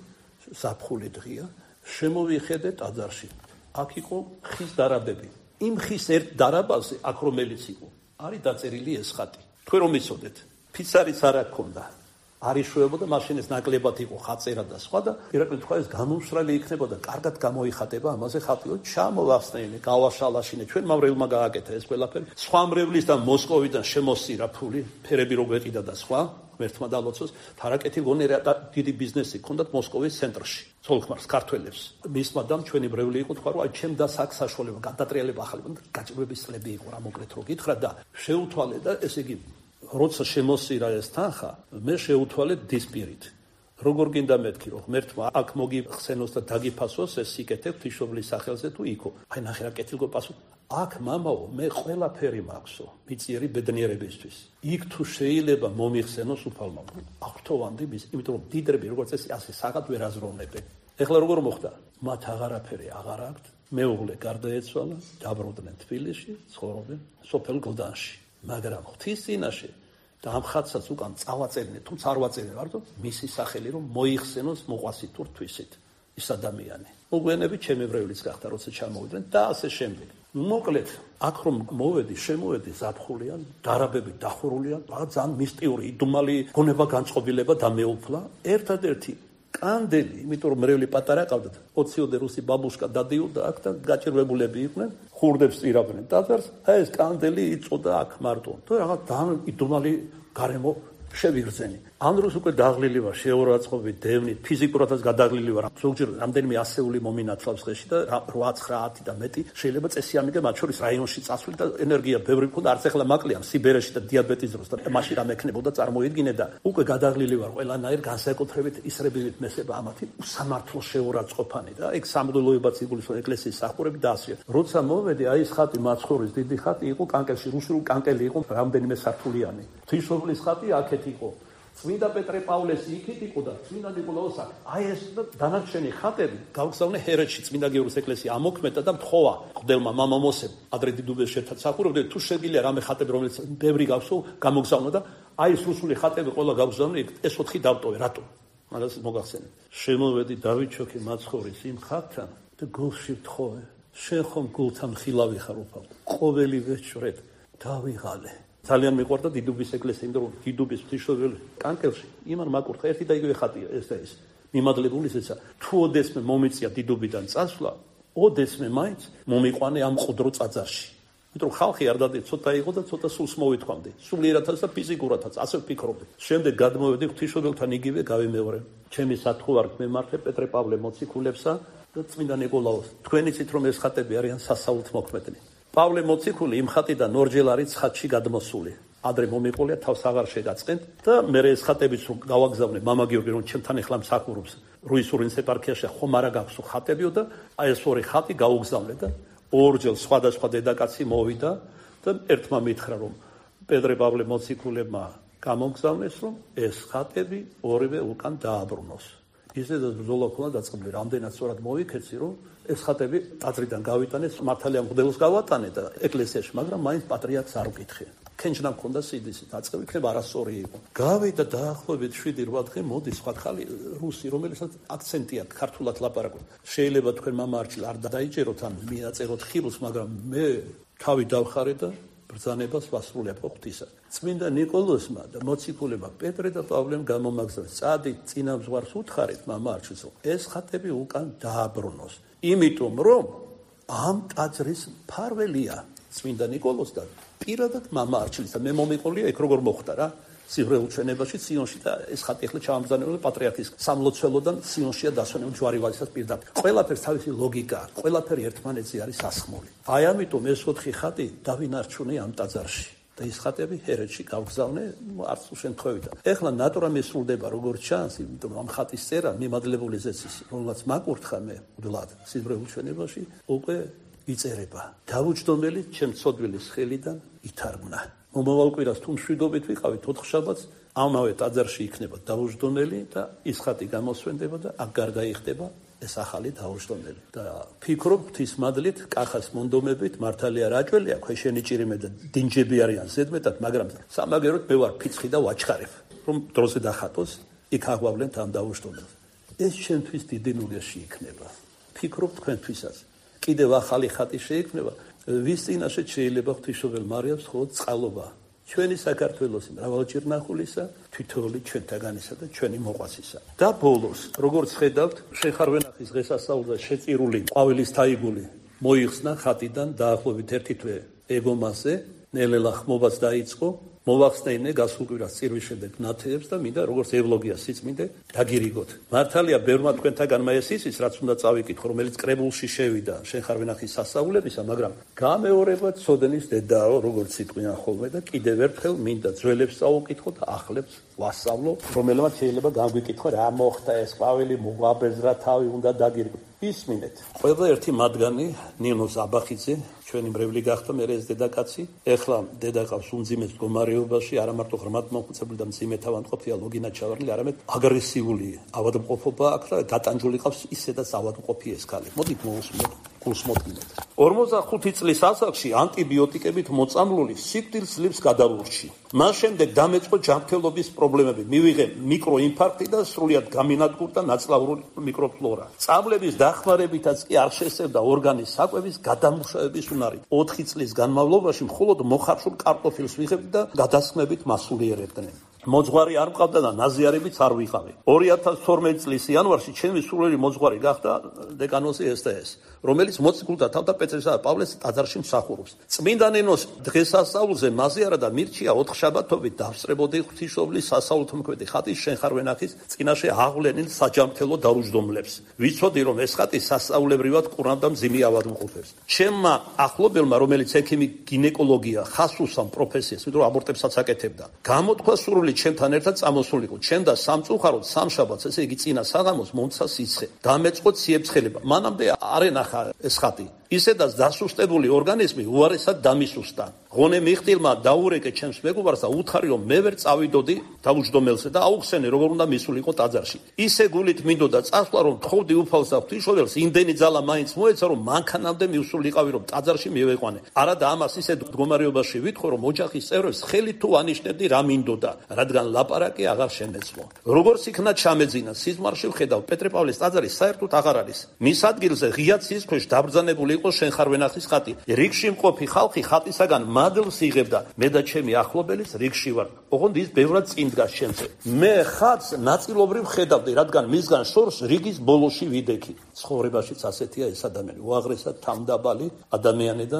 საფხული დღეა, შემოვიხედე ტაძარში. აქ იყო ხის დარაბები. იმ ხის ერთ დარაბაზე, აქ რომელიც იყო, არის დაწერილი ეს ხატი. თქვენ რომ იცოდეთ, ფიცარიც არ აქონდა. არ იშვებოდა, მაშინ ეს ნაკლებად იყო ხაწერა და სხვა და ირაკლი თქვა ეს გამომსრალი იქნებოდა, კარგად გამოიხატება ამაზე ხატიო, ჩამოვახსნენე, გავაშალაშინე, ჩვენ მავრელმა გააკეთა ეს ყველაფერი. სხვა მრევლის და მოსკოვიდან შემოსირა ფული, ფერები რო გვეყიდა და სხვა, ღმერთმა დალოცოს, თარაკეთი გონერა და დიდი ბიზნესი ჰქონდათ მოსკოვის ცენტრში. ცოლ-ქმარს, ქართველებს. მისმა დამ ჩვენი მრევლი იყო, თქვა რომ აი ჩემ და საქ საშუალება, გადატრიალება ახალი, გაჭირვების წლები იყო რა მოკრეთ რო გითხრა და შეუთვალე და ესე იგი როცა შემოსირა ეს თანხა, მე შეუთვალე დისპირით. როგორ გინდა მეთქი, რომ ღმერთმა აქ მოგიხსენოს და დაგიფასოს ეს სიკეთე ღვთისმშობლის სახელზე თუ იქო. აი ნახე რა კეთილგო პასუხი. აქ მამაო, მე ყველაფერი მაქვსო, მიწიერი ბედნიერებისთვის. იქ თუ შეიძლება მომიხსენოს უფალმა. აღთოვანდი მის, იმიტომ რომ დიდრები როგორც ეს ასე საღად ვერ აზროვნებენ. ეხლა როგორ მოხდა? მათ აღარაფერი აღარ აქვთ. მეუღლე გარდაეცვალა, დაბრუნდნენ თბილისში, ცხოვრობენ სოფელ გლდანში. მაგრამ ღვთის წინაშე და ამ ხატსაც უკან წავაწერინა, თუმცა არ ვაწერინა, მარტო მისი სახელი რომ მოიხსენოს მოყვასით თუ რთვისით ის ადამიანი. მოგვიანებით ჩემი ბრევლიც გახდა, როცა ჩამოვიდნენ და ასე შემდეგ. მოკლედ, აქ რომ მოვედი, შემოვედი ზაფხულია, დარაბები დახურულია, რა ძალიან მისტიური, იდუმალი გონება განწყობილება და მეუფლა. ერთადერთი კანდელი, იმიტომ რომ მრევლი პატარა ყავდათ, ოციოდე რუსი ბაბუშკა დადიოდა აქ და გაჭირვებულები იყვნენ, ხურდებს წირავდნენ ტაძარს, აი ეს კანდელი იწოდა აქ მარტო. და რაღაც დამიდუმალი გარემო შევიგრძენი. ამ დროს უკვე დაღლილი ვარ, შეურაცხყოფით, დევნით, ფიზიკურადაც გადაღლილი ვარ. ზოგჯერ რამდენიმე ასეული მომინათლავს დღეში და რვა ცხრაათი და მეტი შეიძლება წესი ამიგე მათ შორის რაიონში წასვლი და ენერგია ბევრი მქონდა, არც ახლა მაკლია სიბერეში და დიაბეტის დროს და მაშინ რამე ექნებოდა წარმოიდგინე და უკვე გადაღლილი ვარ ყველანაირ განსაკუთრებით ისრებივით მესება ამათი უსამართლო შეურაცხყოფანი და ეგ სამღვდელოებაც იგულისხმება ეკლესიის სახურები და ასე. როცა მოვედი, აი ეს ხატი მაცხოვრის დიდი ხატი იყო კანკელში, რუსული კანკელი იყო რამდენიმე სართულიანი. ღვთისმშობლის ხატი აქეთ იყო. წმინდა პეტრე პავლესი იქით იყო და წმინდა ნიკოლაოს აქ. აი ეს დანარჩენი ხატები გავგზავნე ჰერეთში წმინდა გიორგის ეკლესია ამოქმედა და მთხოვა მღვდელმა მამამოსემ ადრე დიდუბეს ერთად სახურებდნენ თუ შეგიძლია რამე ხატები რომელიც ბევრი გავსო გამოგზავნო და აი ეს რუსული ხატები ყველა გავგზავნე ეს ოთხი დავტოვე რატო მაგას მოგახსენე შემოვედი დავითჩოქი მაცხოვრის იმ ხატთან და გულში ვთხოვე შენ ხომ გულთან ხილავი ხარ უფალ ყოველი ვეჭვრეთ დავიღალე ძალიან მიყვარდა დიდუბის ეკლესია, იმიტომ რომ დიდუბის ღვთისმშობელი კანკელში იმან მაკურთხა ერთი და იგივე ხატია ეს და ეს. მიმადლებული ისეცა, თუ ოდესმე მომიწია დიდუბიდან წასვლა, ოდესმე მაინც მომიყვანე ამ ყუდრო წაძარში. იმიტომ რომ ხალხი არ დადი ცოტა იყო და ცოტა სულს მოვითქვამდი. სულიერათაც და ფიზიკურათაც, ასე ვფიქრობდი. შემდეგ გადმოვედი ღვთისმშობელთან იგივე გავიმეორე. ჩემი სათხუარით მემართა პეტრე პავლე მოციქულებსა და წმინდა ნიკოლაოს. თქვენ იცით რომ ეს ხატები არიან სასაულთ მოქმედნი. პავლე მოციქული იმ ხატიდან ორჯერ არის ხატში გადმოსული. ადრე მომიყოლია თავს აღარ შეგაწყენთ და მე ეს ხატებიც რომ გავაგზავნე მამა გიორგი რომ ჩემთან ეხლა მსახურობს რუისურინს ეპარქიაში ხომ არა გაქვს ხატებიო და აი ეს ორი ხატი გავაგზავნე და ორჯერ სხვადასხვა დედაკაცი მოვიდა და ერთმა მითხრა რომ პეტრე პავლე მოციქულებმა გამოგზავნეს რომ ეს ხატები ორივე უკან დააბრუნოს. ისედაც ბრძოლა ქონდა დაწყებული რამდენად სწორად მოვიქეცი რომ ეს ხატები ტაძრიდან გავიტანეს მართალია მღვდელს გავატანე და ეკლესიაში მაგრამ მაინც პატრიარქს არ ვკითხე ქენჯნა მქონდა სიდისი დაწყები იქნება არასწორი იყო გავიდა დაახლოებით შვიდი რვა დღე მოდის სხვა ხალი რუსი რომელსაც აქცენტი აქვს ქართულად ლაპარაკობს შეიძლება თქვენ მამა არჩილ არ დაიჯეროთ ან მიაწეროთ ხილს მაგრამ მე თავი დავხარე და ბრძანებას ვასრულებ ღვთისა. წმინდა ნიკოლოზმა და მოციქულებმა პეტრე და პავლემ გამომაგზავნეს. წადი წინა მზღვარს უთხარით მამა არჩილს ეს ხატები უკან დააბრუნოს. იმიტომ რომ ამ ტაძრის მფარველია წმინდა ნიკოლოზ და პირადად მამა არჩილის და მე მომიყოლია ეგ როგორ მოხდა რა სივრეულ ჩვენებაში სიონში და ეს ხატი ახლა ჩამბრძანებული პატრიარქის სამლოცველოდან სიონშია დასვენებული ჯვარი ვალისას პირდაპირ. ყველაფერს თავისი ლოგიკა აქვს, ყველაფერი ერთმანეთზე არის ასხმული. აი ამიტომ ეს ოთხი ხატი დავინარჩუნე ამ ტაძარში და ეს ხატები ჰერეთში გავგზავნე არც უშენთხოვით. ეხლა ნატურა მისრულდება როგორც ჩანს, იმიტომ რომ ამ ხატის წერა მიმადლებული ზეცის, რომელსაც მაკურთხა მე მუდლად სივრეულ ჩვენებაში უკვე იწერება. დავუჯდომელი ჩემ ცოდვილის ხელიდან ითარგმნა. მომავალ კვირას თუ მშვიდობით ვიყავით ოთხშაბათს ამავე ტაძარში იქნება დავუჯდომელი და ის ხატი გამოსვენდება და აქ გარდაიხდება ეს ახალი დავუჯდომელი და ფიქრობ ღვთისმადლით კახას მონდომებით მართალია რაჭველია ქვეშენი ჭირიმე და დინჯები არიან ზედმეტად მაგრამ სამაგეროდ მე ვარ ფიცხი და ვაჩხარებ რომ დროზე დახატოს იქ აღვავლენთ ამ დავუჯდომელს ეს ჩემთვის დიდი ნუგეში იქნება ფიქრობ თქვენთვისაც კიდევ ახალი ხატი შეიქმნება ვის წინაშე შეიძლება ღვთისმშობელ მარიამს მხოლოდ წყალობა ჩვენი საქართველოს მრავალჭირნახულისა თითოეული ჩვენთაგანისა და ჩვენი მოყვასისა და ბოლოს როგორც ხედავთ შეხარვენახის დღესასწაულზე შეწირული ყვავილის თაიგული მოიხსნა ხატიდან დაახლოებით ერთი თვე ეგომაზე ნელ-ნელა ხმობაც დაიწყო მოვახსნეინე გასულ კვირას წირვის შემდეგ ნათეებს და მინდა როგორც ევლოგია სიწმინდე დაგირიგოთ. მართალია ბევრმა თქვენთაგანმა ეს იცის, რაც უნდა წავიკითხო, რომელიც კრებულში შევიდა შენხარვენახის სასწაულებისა, მაგრამ გამეორება ცოდნის დედაო, როგორც სიტყვიან ხოლმე და კიდევ ერთხელ მინდა ძველებს წავუკითხო და ახლებს ვასწავლო, რომელმაც შეიძლება გამგვიკითხო რა მოხდა ეს ყვავილი მუღაბეზრა თავი უნდა დაგირიგოთ. ისმინეთ. ყველა ერთი მათგანი ნინო ზაბახიძე ჩვენი მრევლი გახდა მე ეს დედაკაცი ეხლა დედაკაცს უმძიმეს მდგომარეობაში არა მარტო ღრმად მომხუცებული და მძიმე თავანტყოფია ლოგინა ჩავარლი არამედ აგრესიული ავადმყოფობა აქვს და დატანჯული ყავს ისედაც ავადმყოფი ეს ქალი მოდი მოусმოთ გულს მოდგინეთ ორმოცდახუთი წლის ასაკში ანტიბიოტიკებით მოწამლული სიკვდილს ძლებს გადავურჩი მას შემდეგ დამეწყო ჯანმრთელობის პრობლემები მივიღე მიკროინფარქტი და სრულიად გამინადგურდა ნაწლავური მიკროფლორა წამლების დახმარებითაც კი არ შესწევდა ორგანის საკვების გადამუშავების უნარი ოთხი წლის განმავლობაში მხოლოდ მოხარშულ კარტოფილს ვიღებდი და გადასხმებით მასულიერებდნენ მოძღვარი არ მყავდა და ნაზიარებიც არ ვიყავი. ორი ათას თორმეტი წლის იანვარში ჩემი სულელი მოძღვარი გახდა დეკანოზი ეს და ეს, რომელიც მოციქულთა თავდაპირველსა და პავლეს ტაძარში მსახურობს. წმინდა ნინოს დღესასწაულზე მაზიარა და მირჩია ოთხშაბათობით დავსწრებოდი ღვთისმშობლის სასაულთმოქმედი ხატის შენ ხარ ვენახის წინაშე აღვლენილ საჯამრთელო დაუჯდომლებს. ვიცოდი რომ ეს ხატი სასწაულებრივად ყურავდა მძიმე ავადმყოფებს. ჩემმა ახლობელმა, რომელიც ექიმი გინეკოლოგია ხას უსამ პროფესიას, ვიდრე აბორტებსაც აკეთებდა. გამოთქვა სურვილი ჩემთან ერთად წამოსულიყო. ჩემ და სამწუხაროდ სამშაბათს, ესე იგი წინა საღამოს მომცა სიცხე. დამეწყო ციებცხელება. მანამდე არ ენახა ეს ხატი. ისედაც დასუსტებული ორგანიზმი უარესად დამისუსტა. ღონე მიხტილმა დაურეკე ჩემს მეგობარს და უთხარი რომ მე ვერ წავიდოდი დაუჯდომელზე და აუხსენე როგორ უნდა მისულიყო ტაძარში. ისე გულით მინდოდა წასვლა რომ თხოვდი უფალს და ღვთისმშობელს იმდენი ძალა მაინც მოეცა რომ მანქანამდე მივსულიყავი რომ ტაძარში მივეყვანე. არადა ამას ისე მდგომარეობაში ვითხოვ რომ ოჯახის წევრებს ხელით თუ ანიშნებდი რა მინდოდა, რადგან ლაპარაკი აღარ შემეძლო. როგორც იქნა ჩამეძინა სიზმარში ვხედავ პეტრე პავლეს ტაძარი საერთოდ აღარ არის. მის ადგილზე ღია ცის ქვეშ დაბრძანებული იყო შენ ხარ ვენახის ხატი. რიგში მყოფი ხალხი ხატისაგან მადლს იღებდა. მე და ჩემი ახლობელის რიგში ვარ. ოღონდ ის ბევრად წინ დგას ჩემზე. მე ხატს ნაწილობრივ ხედავდი, რადგან მისგან შორს რიგის ბოლოში ვიდექი. ცხოვრებაშიც ასეთია ეს ადამიანი, უაღრესად თავდაბალი ადამიანი და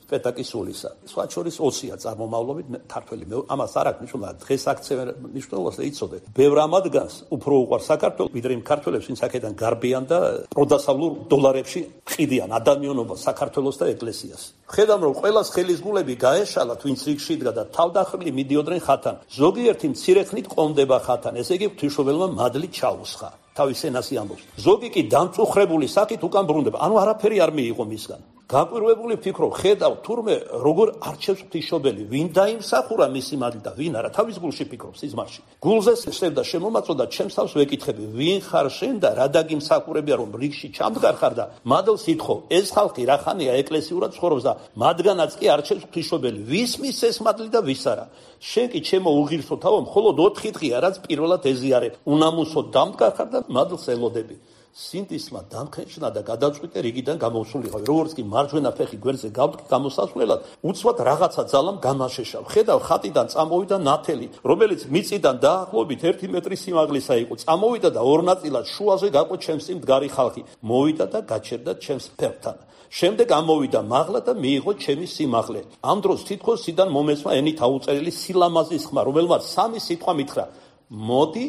სპექტაკლის სულისა. სხვა შორის ოცია წარმომავლობით ქართველი. ამას არ აქვს მნიშვნელობა, დღეს აქცევენ მნიშვნელობას და იცოდე. ბევრ ამადგანს უფრო უყვარს საქართველოს, ვიდრე იმ ქართველებს, ვინც აქედან გარბიან და პროდასავლურ დოლარებში ყიდიან ადამიანობას, საქართველოს და ეკლესიას. ხედავ რომ ყველას ხელისგულები გაეშალათ, ვინც რიგში იდგა და თავდახრილი მიდიოდნენ ხატთან. ზოგიერთი მცირეხნით ყომდება ხატთან, ესე იგი ღვთისმშობელმა მადლი ჩაუსხა. თავის ენასი ამბობს. ზოგი კი დამწუხრებული საკით უკან ბრუნდება. ანუ არაფერი არ მიიღო მისგან. გაკვირვებული ვფიქრობ, ხედავ თურმე როგორ არჩევს ღვთისმშობელი, ვინ დაიმსახურა მისი მადლი და ვინ არა. თავის გულში ფიქრობს სიზმარში. გულზე შევდა შემომაწოდა ჩემს თავს ვეკითხები, ვინ ხარ შენ და რა დაგიმსახურებია რომ რიგში ჩამდგარ ხარ და მადლს ითხოვ. ეს ხალხი რა ხანია ეკლესიურად ცხოვრობს და მათგანაც კი არჩევს ღვთისმშობელი. ვის მის ეს მადლი და ვის არა. შენ კი ჩემო უღირსო თავო, მხოლოდ ოთხი დღეა რაც პირველად ეზიარებ. უნამუსოდ დამდგარ ხარ და მადლს ელოდები. სინდისმა დამხეჭნა და გადაწყვიტე რიგიდან გამოსულიყავი. როგორც კი მარჯვენა ფეხი გვერდზე გავდგა გამოსასვლელად, უცბად რაღაცა ძალამ გამაშეშავ. ხედავ ხატიდან წამოვიდა ნათელი, რომელიც მიწიდან დაახლოებით ერთი მეტრი სიმაღლისა იყო. წამოვიდა და ორ ნაწილად შუაზე გაყო ჩემს წინ მდგარი ხალხი. მოვიდა და გაჩერდა ჩემს ფეხთან. შემდეგ ამოვიდა მაღლა და მიიღო ჩემი სიმაღლე. ამ დროს თითქოს სიდან მომეცვა ენით აუწერილი სილამაზის ხმა, რომელმაც სამი სიტყვა მითხრა: მოდი,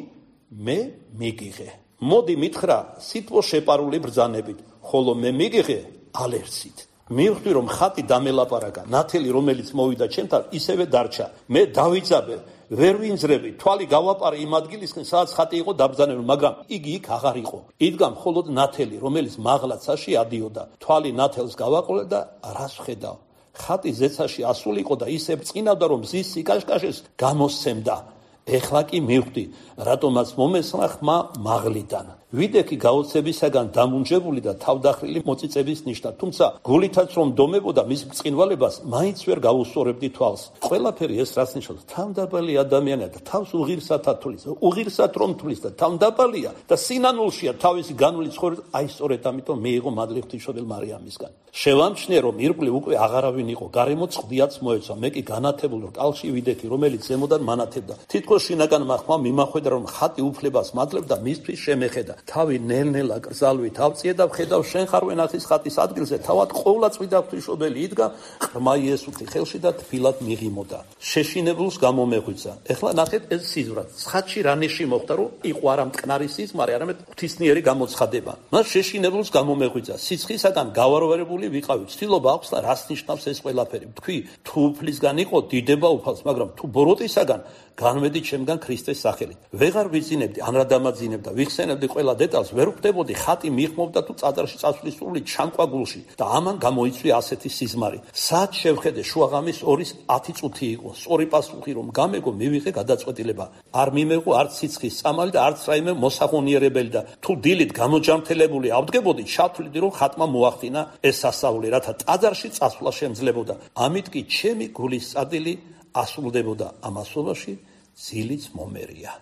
მე მიგიღე. მოდი მითხრა სიტყვა შეპარული ბრძანებით, ხოლო მე მიგიღე ალერსით. მივხვდი რომ ხატი დამელაპარაკა. ნათელი რომელიც მოვიდა ჩემთან ისევე დარჩა. მე დავიძაბე, ვერ ვინძრები, თვალი გავაპარე იმ ადგილისკენ, სადაც ხატი იყო დაბრძანებული, მაგრამ იგი იქ აღარ იყო. იდგა მხოლოდ ნათელი, რომელიც მაღლაცაში ადიოდა. თვალი ნათელს გავაყოლე და რას ვხედავ? ხატი ზეცაში ასულიყო და ისე ბრწყინავდა, რომ მზის სიკაშკაშეს გამოსცემდა. ეხლა კი მივხვდი, რატომაც მომესმა ხმა მაღლიდან. ვიდექი გაოცებისაგან დამუნჯებული და თავდახრილი მოწიწების ნიშნად, თუმცა გულითაც რომ დომებოდა მის ბრწყინვალებას, მაინც ვერ გაუსწორებდი თვალს. ყველაფერი ეს რას ნიშნავს? თავდაბალი ადამიანია და თავს უღირსად ათulis, უღირსად რომ თulis და თავდაბალია და სინანულშია თავისი განული ცხოვრება. აი სწორედ ამიტომ მიიღო მადლი ღვთისმშობელ მარიამისგან. შევამჩნიე რომ ირგვლივ უკვე აღარავინ იყო, გარემო წყდიაც მოეცვა. მე კი განათებულ რკალში ვიდექი, რომელიც ზემოდან მანათებდა. თითქოს შინაგანმა ხმა მიმახვედრა რომ ხატი უფლებას მადლებდა მისთვის შემეხედა. თავი ნელ-ნელა კრძალვით ავწიე და ვხედავ შენ ხარ ვენახის ხატის ადგილზე თავად ყოვლა წვიდა ღვთისმშობელი იდგა ღრმა იესუთი ხელში და თბილად მიღიმოდა. შეშინებულს გამომეღვიძა. ეხლა ნახეთ ეს სიზმრად. ხატში რა ნიში მოხდა, რომ იყო არა მტკნარი სიზმარი, არამედ ღვთისმიერი გამოცხადება. მას შეშინებულს გამომეღვიძა. სიცხისაგან გავარვარებული ვიყავი. ცდილობა აქვს და რას ნიშნავს ეს ყველაფერი. თქვი, თუ უფლისგან იყო დიდება უფალს, მაგრამ თუ ბოროტისაგან განვედი ჩემგან ქრისტეს სახელით. ვეღარ ვიძინებდი, ან რა დამაძინებდა, ვიხსენებდი ყველა დეტალს, ვერ ვხვდებოდი ხატი მიხმობდა თუ წაძარში წასვლის სრული ჩამკვა გულში და ამან გამოიწვია ასეთი სიზმარი. სად შევხედე შუაღამის ორის ათი წუთი იყო. სწორი პასუხი რომ გამეგო, მივიღე გადაწყვეტილება. არ მიმეღო არც სიცხის წამალი და არც რაიმე მოსახონიერებელი და თუ დილით გამოჯანმრთელებული ავდგებოდი, ჩავთვლიდი რომ ხატმა მოახდინა ეს სასწაული, რათა ტაძარში წასვლა შემძლეებოდა. ამით კი ჩემი გულის წადილი ასრულდებოდა ამასობაში ძილიც მომერია.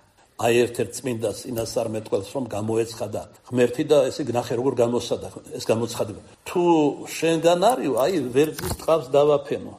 აი ერთ-ერთ წმინდა წინასწარმეტყველს რომ გამოეცხადა ღმერთი და ესე გნახე როგორ გამოსადა ეს გამოცხადება. თუ შენგან არისო, აი ვერძის ტყავს დავაფენო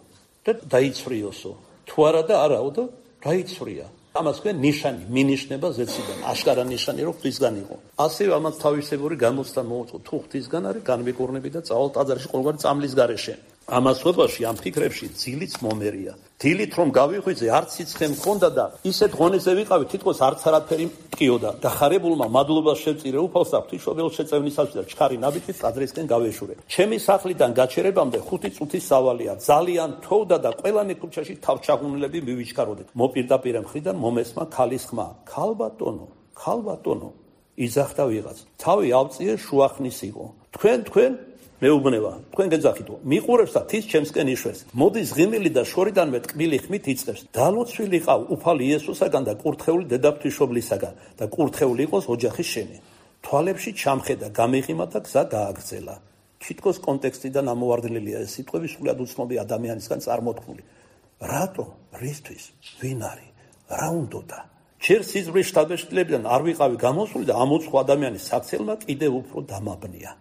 და დაიცვრიოსო. თუ არა და არაო და დაიცვრია. ამას ქვენ ნიშანი, მინიშნება ზეციდან, აშკარა ნიშანი, რომ ღვთისგან იყო. ასევე ამას თავისებური გამოცდა მოუწყო, თუ ღვთისგან არის, განვიკურნები და წავალ ტაძარში ყოველგვარი წამლის გარეშე. ამას ხვებაში, ამ ფიქრებში ძილიც მომერია. დილით რომ გავიღვიძე, არც სიცხე მქონდა და ისეთ ღონეზე ვიყავი, თითქოს არც არაფერი მткиოდა. და ხარებულმა მადლობას შევწირე უფალს და ღვთისმშობელს შეწევნისას და ჩქარი ნაბიჯით ტაძრისკენ გავეშურე. ჩემი სახლიდან გაჩერებამდე ხუთი წუთის სავალია. ძალიან თოვდა და ყველანი ქუჩაში თავჩაღუნლები მივიჩქაროდეთ. მოპირდაპირე მხრიდან მომესმა ქალის ხმა. ქალბატონო, ქალბატონო, იძახდა ვიღაც. თავი ავწიე შუახნის იყო. თქვენ თქვენ მეუბნება, თქვენ გეძახითო, მიყურებს და თის ჩემსკენ იშვეს. მოდის ღიმილი და შორიდანვე ტკბილი ხმით იწყებს. დალოცვილი ყავ უფალი იესოსაგან და კურთხეული დედაფთვისმშობლისაგან და კურთხეული იყოს ოჯახის შენი. თვალებში ჩამხედა, გამიღიმა და გზა გააგრძელა. თითქოს კონტექსტიდან ამოვარდნილია ეს სიტყვები სულად უცნობი ადამიანისგან წარმოთქმული. რატო? რისთვის? ვინ არის? რა უნდოდა? ჯერ სიზმრის შტაბეშტილებიდან არ ვიყავი გამოსული და ამოწყო ადამიანის საქცელმა კიდევ უფრო დამაბნია.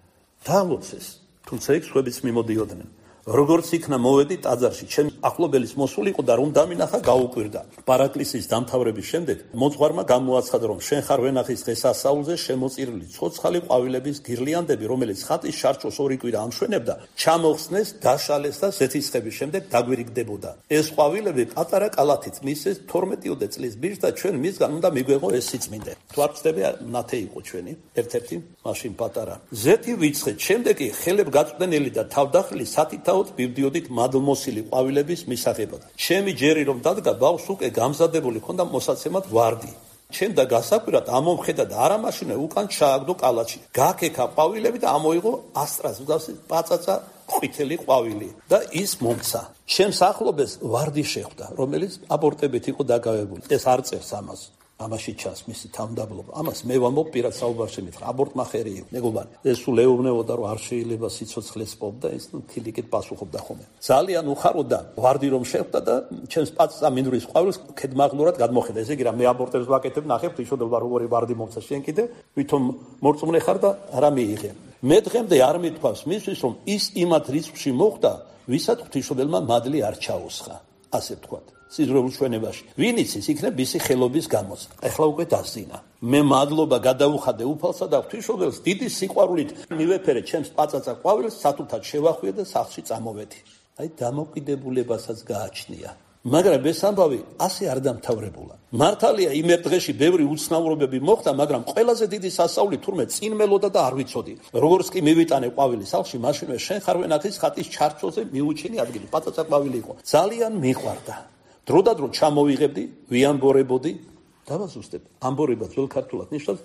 დაალოცეს. თუმცა იქ სხვებიც მიმოდიოდნენ. როგორც იქნა მოვედი ტაძარში, ჩემი ახლობელის მოსული იყო და რომ დამინახა გაუკვირდა. პარაკლისის დამთავრების შემდეგ მოძღვარმა გამოაცხადა, რომ შენ ხარ ვენახის დღესასწაულზე შემოწირული ცოცხალი ყვავილების გირლიანდები, რომელიც ხატის შარჩოს ორი კვირა ამშვენებდა, ჩამოხსნეს, დაშალეს და ზეთისხების შემდეგ დაგვირიგდებოდა. ეს ყვავილები პატარა კალათით მისეს თორმეტიოდე წლის ბიჭს და ჩვენ მისგან უნდა მიგვეღო ეს სიწმინდე. თუ არ ვწდები, ნათე იყო ჩვენი, ერთ-ერთი მაშინ პატარა. ზეთი ვიცხეთ, შემდეგ კი ხელებ გაწვდენილი და თავდახილი სათით მივდიოდით მადლმოსილი ყვავილების მისაღებად. ჩემი ჯერი რომ დადგა, ბავშვს უკვე გამზადებული ჰქონდა მოსაცემად ვარდი. ჩემ და გასაკვირად ამომხედა და არამაშინე უკან ჩააგდო კალათში. გაქექა ყვავილები და ამოიღო ასტრას მსგავსი პაწაწა ყვითელი ყვავილი და ის მომცა. ჩემს ახლობელს ვარდი შეხვდა, რომელიც აბორტებით იყო დაგავებული. ეს არ წერს ამას. ამაში ჩანს მისი თავმდაბლობა. ამას მე ვამბობ პირად საუბარში მითხრა. აბორტმა ხერი იყო. მეგობარი, ეს სულ ეუბნებოდა, რომ არ შეიძლება სიცოცხლეს პოვდა, ის თილიკით პასუხობდა ხოლმე. ძალიან უხაროდა ვარდი რომ შეხვდა და ჩემს პაწაწა მინდვრის ყვავილს ქედმაღლურად გადმოხედა. ესე იგი რა მე აბორტებს ვაკეთებ, ნახე ღვთისმშობელმა როგორი ვარდი მომცა შენ კიდე, ვითომ მორწმუნე ხარ და არა მიიღე. მე დღემდე არ მithქვავს მისთვის, რომ ის იმათ რიცხვში მოხვდა, ვისაც ღვთისმშობელმა მადლი არ ჩაუსხა. ასე ვთქვათ. სიზრუნულ ჩვენებაში. ვინ იცის, იქნებ ისი ხელობის გამოც. ეხლა უკვე დასძინა. მე მადლობა გადაუხადე უფალსა და ღვთისმშობელს დიდი სიყვარულით მივეფერე ჩემს პაწაწა ყვავილს, სათულთად შევახვიე და სახლში წამოვედი. აი დამოკიდებულებასაც გააჩნია. მაგრამ ეს ამბავი ასე არ დამთავრებულა. მართალია იმ ერთ დღეში ბევრი უცნაურობები მოხდა, მაგრამ ყველაზე დიდი სასწაული თურმე წინ მელოდა და არ ვიცოდი. როგორც კი მივიტანე ყვავილი სახლში, მაშინვე შენ ხარ ვენახის ხატის ჩარჩოზე მიუჩინი ადგილი. პაწაწა ყვავილი იყო. ძალიან მიყვარდა. დროდადრო ჩამოვიღებდი, ვიამბორებოდი, დავაზუსტებ. ამბორება ძველ ქართულად ნიშნავს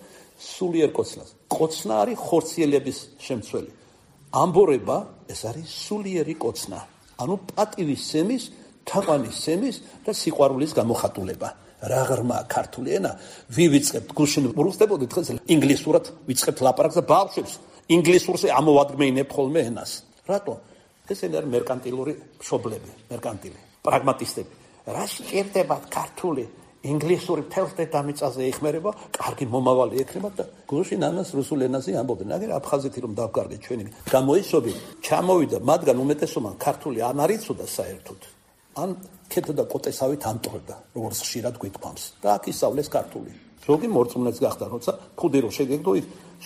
სულიერ კოცნას. კოცნა არის ხორციელების შემცველი. ამბორება ეს არის სულიერი კოცნა. ანუ პატივის სემის, თაყვანის სემის და სიყვარულის გამოხატულება. რა ღრმა ქართული ენა, ვივიწყებთ გუშინ ვრუსდებოდი დღეს ინგლისურად ვიწყებთ ლაპარაკს და ბავშვებს ინგლისურზე ამოვადგმეინებ ხოლმე ენას. რატო? ეს ენა არის მერკანტილური მშობლები, მერკანტილი, პრაგმატისტები. რაში ჭირდებათ ქართული, ინგლისური მთელს დედამიწაზე ეხმერება, კარგი მომავალი ექნება და გუშინ ამას რუსულ ენაზე ამბობენ. აგერ აფხაზეთი რომ დავკარგეთ ჩვენი გამოისობი, ჩამოვიდა, მათგან უმეტესობა ქართული ან არ იცოდა საერთოდ. ან ქეთო და კოტესავით ამტყდა, როგორც ხშირად გვიტყვამს. და აქ ისწავლეს ქართული. ზოგი მორწმუნეც გახდა, როცა ქუდი რო შეგეგდო,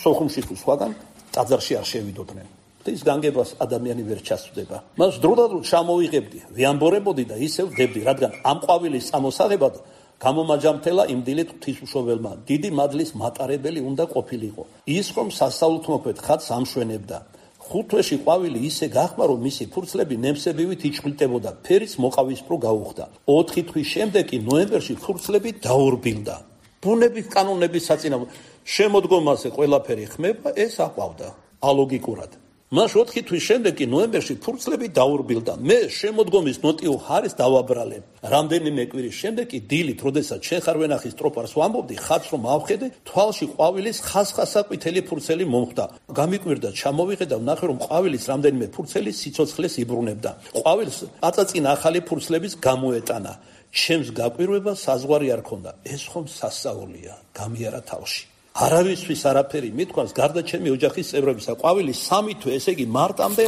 სოხუმში თუ სხვაგან ტაძარში არ შევიდოდნენ. ის განგებას ადამიანი ვერ ჩასწვდება. მას დროდადრო ჩამოვიღებდი, ვიამბორებოდი და ისევ ვდებდი, რადგან ამ ყვავილის წამოსაღებად გამომაჯამთელა იმ დილით ღვთისმშობელმა დიდი მადლის მატარებელი უნდა ყოფილიყო. ის რომ სასწაულთმოქმედ ხატს ამშვენებდა. ხუთვეში ყვავილი ისე გახმა, რომ მისი ფურცლები ნემსებივით იჭყლტებოდა, ფერიც მოყავისფრო გაუხდა. ოთხი თვის შემდეგ კი ნოემბერში ფურცლები დაურბილდა. ბუნების კანონების საწინააღმდეგო შემოდგომაზე ყველაფერი ხმება, ეს აყვავდა ალოგიკურად. მას ოთხი თვის შემდეგ კი ნოემბერში ფურცლები დაურბილდა. მე შემოდგომის ნოტიო ხარეს დავაბრალე. რამდენიმე კვირის შემდეგ კი დილით, როდესაც შენ ხარ ვენახის ტროპარს ვამბობდი, ხატს რომ ავხედე, თვალში ყვავილის ხასხასა ყვითელი ფურცელი მომხდა. გამიკვირდა, ჩამოვიღე და ვნახე, რომ ყვავილის რამდენიმე ფურცელი სიცოცხლეს იბრუნებდა. ყვავილს აწაწინა ახალი ფურცლების გამოეტანა. ჩემს გაკვირვებას საზღვარი არ ქონდა. ეს ხომ სასწაულია, გამიარა თავში. არავისთვის არაფერი მithქვას გარდა ჩემი ოჯახის წევრებისა. ყვავილი სამი თვე, ესე იგი მარტამდე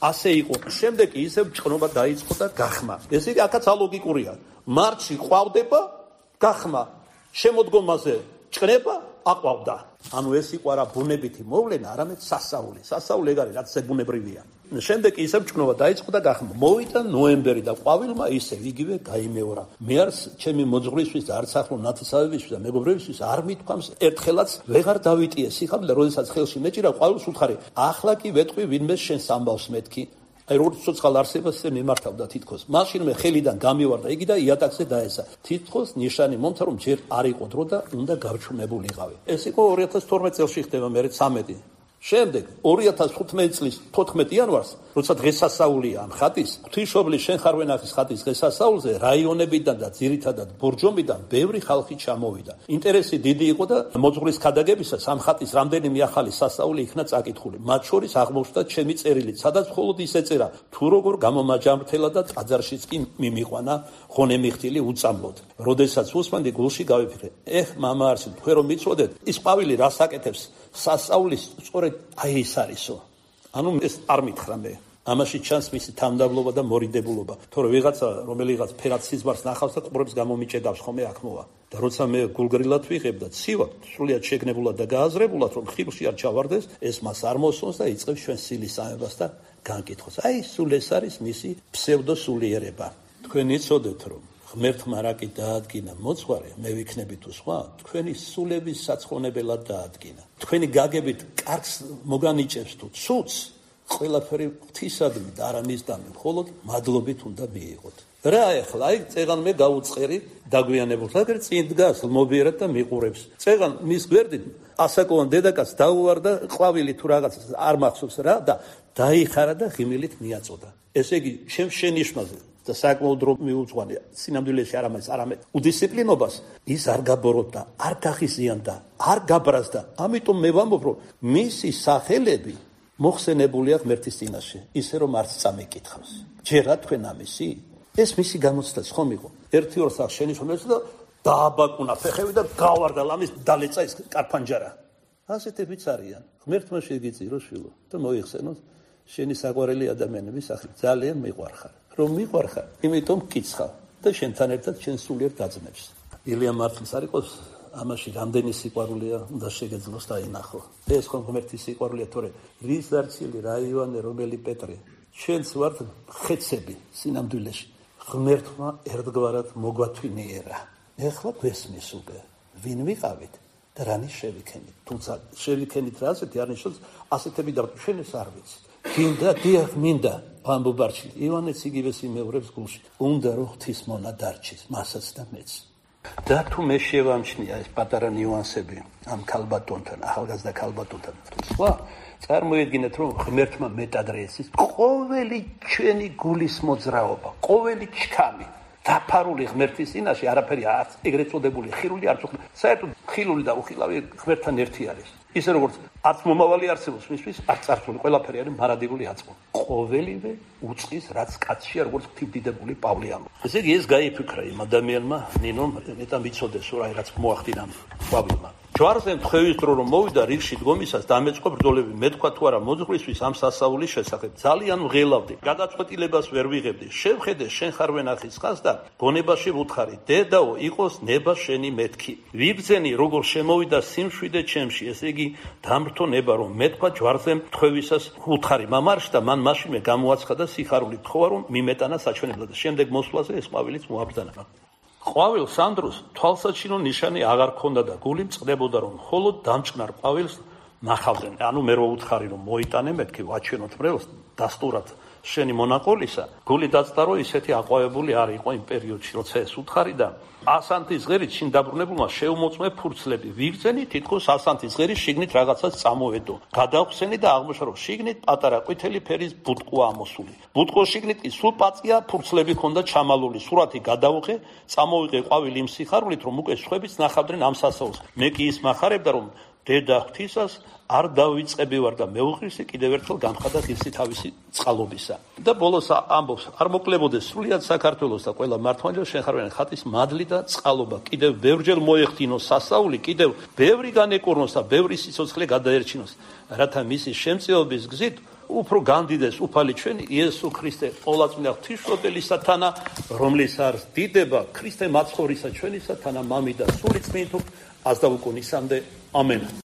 ასე იყო. შემდეგ კი ისევ ჭყნობა დაიწყო და გახმა. ესე იგი აქაც ალოგიკურია. მარტში ყვავდება, გახმა შემოდგომაზე ჭრება აყვავდა. ანუ ეს იყო არა ბუნებითი მოვლენა, არამედ სასწაული. სასწაული ეგ არის, რაც ზებუნებრივია. შემდეგ ისევ ჭკნობა დაიწყო და გახმა. მოვიდა ნოემბერი და ყვავილმა ისევ იგივე გაიმეორა. მე არც ჩემი მოძღვრისთვის და არც ახლო ნათესავებისთვის და მეგობრებისთვის არ მithქვამს ერთხელაც ვეღარ დავიტიე სიხარული და როდესაც ხელში მეჭირა ყვავილს უთხარი, ახლა კი ვეტყვი ვინმე შენს ამბავს მეთქი. აი როგორც ცოცხალ არსებას მიმართავდა თითქოს. მაშინ მე ხელიდან გამივარდა იგი და იატაკზე დაესა. თითქოს ნიშანი მომცა რომ ჯერ არ იყო დრო და უნდა გავჩვენებულიყავი. ეს იყო ორი ათას თორმეტ წელს ხდება მე ცამეტი. შემდეგ ორი ათას თხუთმეტი წლის თოთხმეტი იანვარს, როცა დღესასწაულია ამ ხატის, ღვთისმშობლის შენ ხარ ვენახის ხატის დღესასწაულზე რაიონებიდან და ძირითადად ბორჯომიდან ბევრი ხალხი ჩამოვიდა. ინტერესი დიდი იყო და მოძღვრის ქადაგებისას ამ ხატის რამდენიმე ახალი სასწაული იქნა წაკითხული. მათ შორის აღმოჩნდა ჩემი წერილი, სადაც მხოლოდ ის ეწერა, თუ როგორ გამომაჯამრთელა და ტაძარშიც კი მიმიყვანა ღონემიხტილი უწამლოდ. როდესაც უსმენდი გულში გავიფიქრე, ეხ მამა არსი, თქვენ რომ მიცოდეთ, ის ყვავილი რას აკეთებს სასწაულის სწორედ აი ეს არისო. ანუ ეს არ მითხრა მე. ამაში ჩანს მისი თამდაბლობა და მორიდებულობა. თორე ვიღაცა რომელიღაც ფერად სიზმარს ნახავს და ყურებს გამომიჭედავს ხომ მე აქ მოვა. და როცა მე გულგრილად ვიღებ და ცივად, სრულიად შეგნებულად და გააზრებულად რომ ხილში არ ჩავარდეს, ეს მას არ მოსწონს და იწყებს ჩვენ სილის ამებას და განკითხოს. აი სულ ეს არის მისი ფსევდოსულიერება. თქვენ იცოდეთ რომ ღმერთმა რაკი დაადგინა მოძღვარი, მე ვიქნები თუ სხვა, თქვენი სულების საცხონებელად დაადგინა. თქვენი გაგებით კარგს მოგანიჭებს თუ ცუც, ყველაფერი ღვთისადმი და არა მისდამი, მხოლოდ მადლობით უნდა მიიღოთ. რა ეხლა, აი წეღან მე გაუწყერი დაგვიანებულ, აგერ წინ დგას მობიერად და მიყურებს. წეღან მის გვერდით ასაკოვან დედაკაც დაუვარდა ყვავილი თუ რაღაცა არ მახსოვს რა და დაიხარა და ღიმილით მიაწოდა. ესე იგი, ჩემ შენიშვნაზე და საკმაოდ დრო მიუძღვანი სინამდვილეში არამედ არამედ უდისციპლინობას ის არ გაბოროტდა, არ გახიზიანდა, არ გაბრაზდა. ამიტომ მე ვამბობ, რომ მისი სახელები მოხსენებულია ღმერთის წინაშე, ისე რომ არც წამიკითხავს. ჯერა თქვენ ამისი? ეს მისი გამოცდაც ხომ იყო. ერთი ორ სახს შენიშვნებს და დააბაკუნა ფეხები და გავარდა ლამის დალეცა ის კარფანჯარა. ასეთებიც არიან. ღმერთმა შეგიწირო შვილო და მოიხსენოს შენი საყვარელი ადამიანების სახელი. ძალიან მიყვარხარ. რომ მიყვარხარ, იმიტომ მკიცხავ და შენთან ერთად შენ სულიერ დაძმებს. ილია მართლის არ იყოს ამაში რამდენი სიყვარულია უნდა შეგეძლოს დაინახო. ეს ხომ ღმერთის სიყვარულია, თორე რის დარჩილი, რა ივანე, რომელი პეტრე. ჩვენც ვართ ხეცები სინამდვილეში. ღმერთმა ერთგვარად მოგვათვინიერა. ეხლა გვესმის უკვე, ვინ ვიყავით და რანი შევიქენით. თუმცა შევიქენით რა ასეთი არ ნიშნავს ასეთები და ჩვენ ეს არ ვიცით. გინდა დიახ მინდა ამბობარჩი ივანეც იგივე სიმეორებს გულში უნდა რომ ღვთის მონა დარჩის მასაც და მეც და თუ მე შევამჩნია ეს პატარა ნიუანსები ამ ქალბატონთან ახალგაზრდა ქალბატონთან სხვა წარმოედგინეთ რომ ღმერთმა მეტადრეესის ყოველი ჩვენი გულის მოძრაობა ყოველი ჩქამი დაფარული ღმერთის წინაშე არაფერი არც ეგრეთ წოდებული ხილული არც უხილავი საერთოდ ხილული და უხილავი ღმერთთან ერთი არის ისე როგორც არც მომავალი არსებობს მისთვის არც წარსული ყველაფერი არის მარადიული აწმო ყოველივე უწყის რაც კაცშია როგორც ღვთისდიდებული პავლე ამბობს ესე იგი ეს გაიფიქრა იმ ადამიანმა ნინომ მეტა მიცოდეს რა რაც მოახდინა პავლემ ჯვარზე თქვევის დრო რომ მოვიდა რიგში დგომისას დამეწყო ბრძოლები მეთქვა თუ არა მოძღვრისთვის ამ სასწაულის შესახებ ძალიან ვღელავდი გადაწყვეტილებას ვერ ვიღებდი შევხედე შენ ხარ ვენახის ხას და გონებაში ვუთხარი დედაო იყოს ნება შენი მეთქი ვიბრძენი როგორ შემოვიდა სიმშვიდე ჩემში ესე იგი დამრთო ნება რომ მეთქვა ჯვარზე თქვევისას ვუთხარი მამარში და მან მაშინვე გამოაცხადა სიხარული თხოვა რომ მიმეტანა საჩვენებლად და შემდეგ მოსვლაზე ეს ყვავილიც მოაბრძანა ყვავილ სანდროს თვალსაჩინო ნიშანი აღარ ქონდა და გული მწყდებოდა რომ მხოლოდ დამჭკნარ ყვავილს ნახავდნენ. ანუ მე რო უთხარი რომ მოიტანე მეთქი ვაჩვენოთ მრევლს დასტურად შენი მონაყოლისა გული დაწტარო ისეთი აყვავებული არ იყო იმ პერიოდში როცა ეს უთხარი და ასანთის ღერით შინ დაბრუნებულმა შეუმოწმე ფურცლები ვიბრძენი თითქოს ასანთის ღერის შიგნით რაღაცას წამოვედო გადავხსენი და აღმოჩნდა რომ შიგნით პატარა ყვითელი ფერის ბუტყვა ამოსული ბუტყოს შიგნით კი სულ პაწია ფურცლები ჰქონდა ჩამალული სურათი გადავუყე წამოვიღე ყვავილი იმ სიხარულით რომ უკვე სხვებიც ნახავდნენ ამ სასაულს მე კი ის მახარებდა რომ დედა ღვთისას არ დავიწყები ვარ და მეუღლისი კიდევ ერთხელ გამხადა ღირსი თავისი წყალობისა და ბოლოს ამბობს არ მოკლებოდეს სრულიად საქართველოს და ყველა მართლმადიდებლო შენ ხარ ვენ ხატის მადლი და წყალობა კიდევ ბევრჯერ მოეხდინოს სასაული კიდევ ბევრი განეკურნოს და ბევრი სიცოცხლე გადაერჩინოს რათა მისი შემწეობის გზით უფრო განდიდეს უფალი ჩვენი იესო ქრისტე ყოვლადწმინდა ღვთისმშობელისა თანა, რომლის არს დიდება ქრისტე მაცხოვრისა ჩვენისა თანა მამი და სული წმინდ აზდაუკუნისამდე ამენ.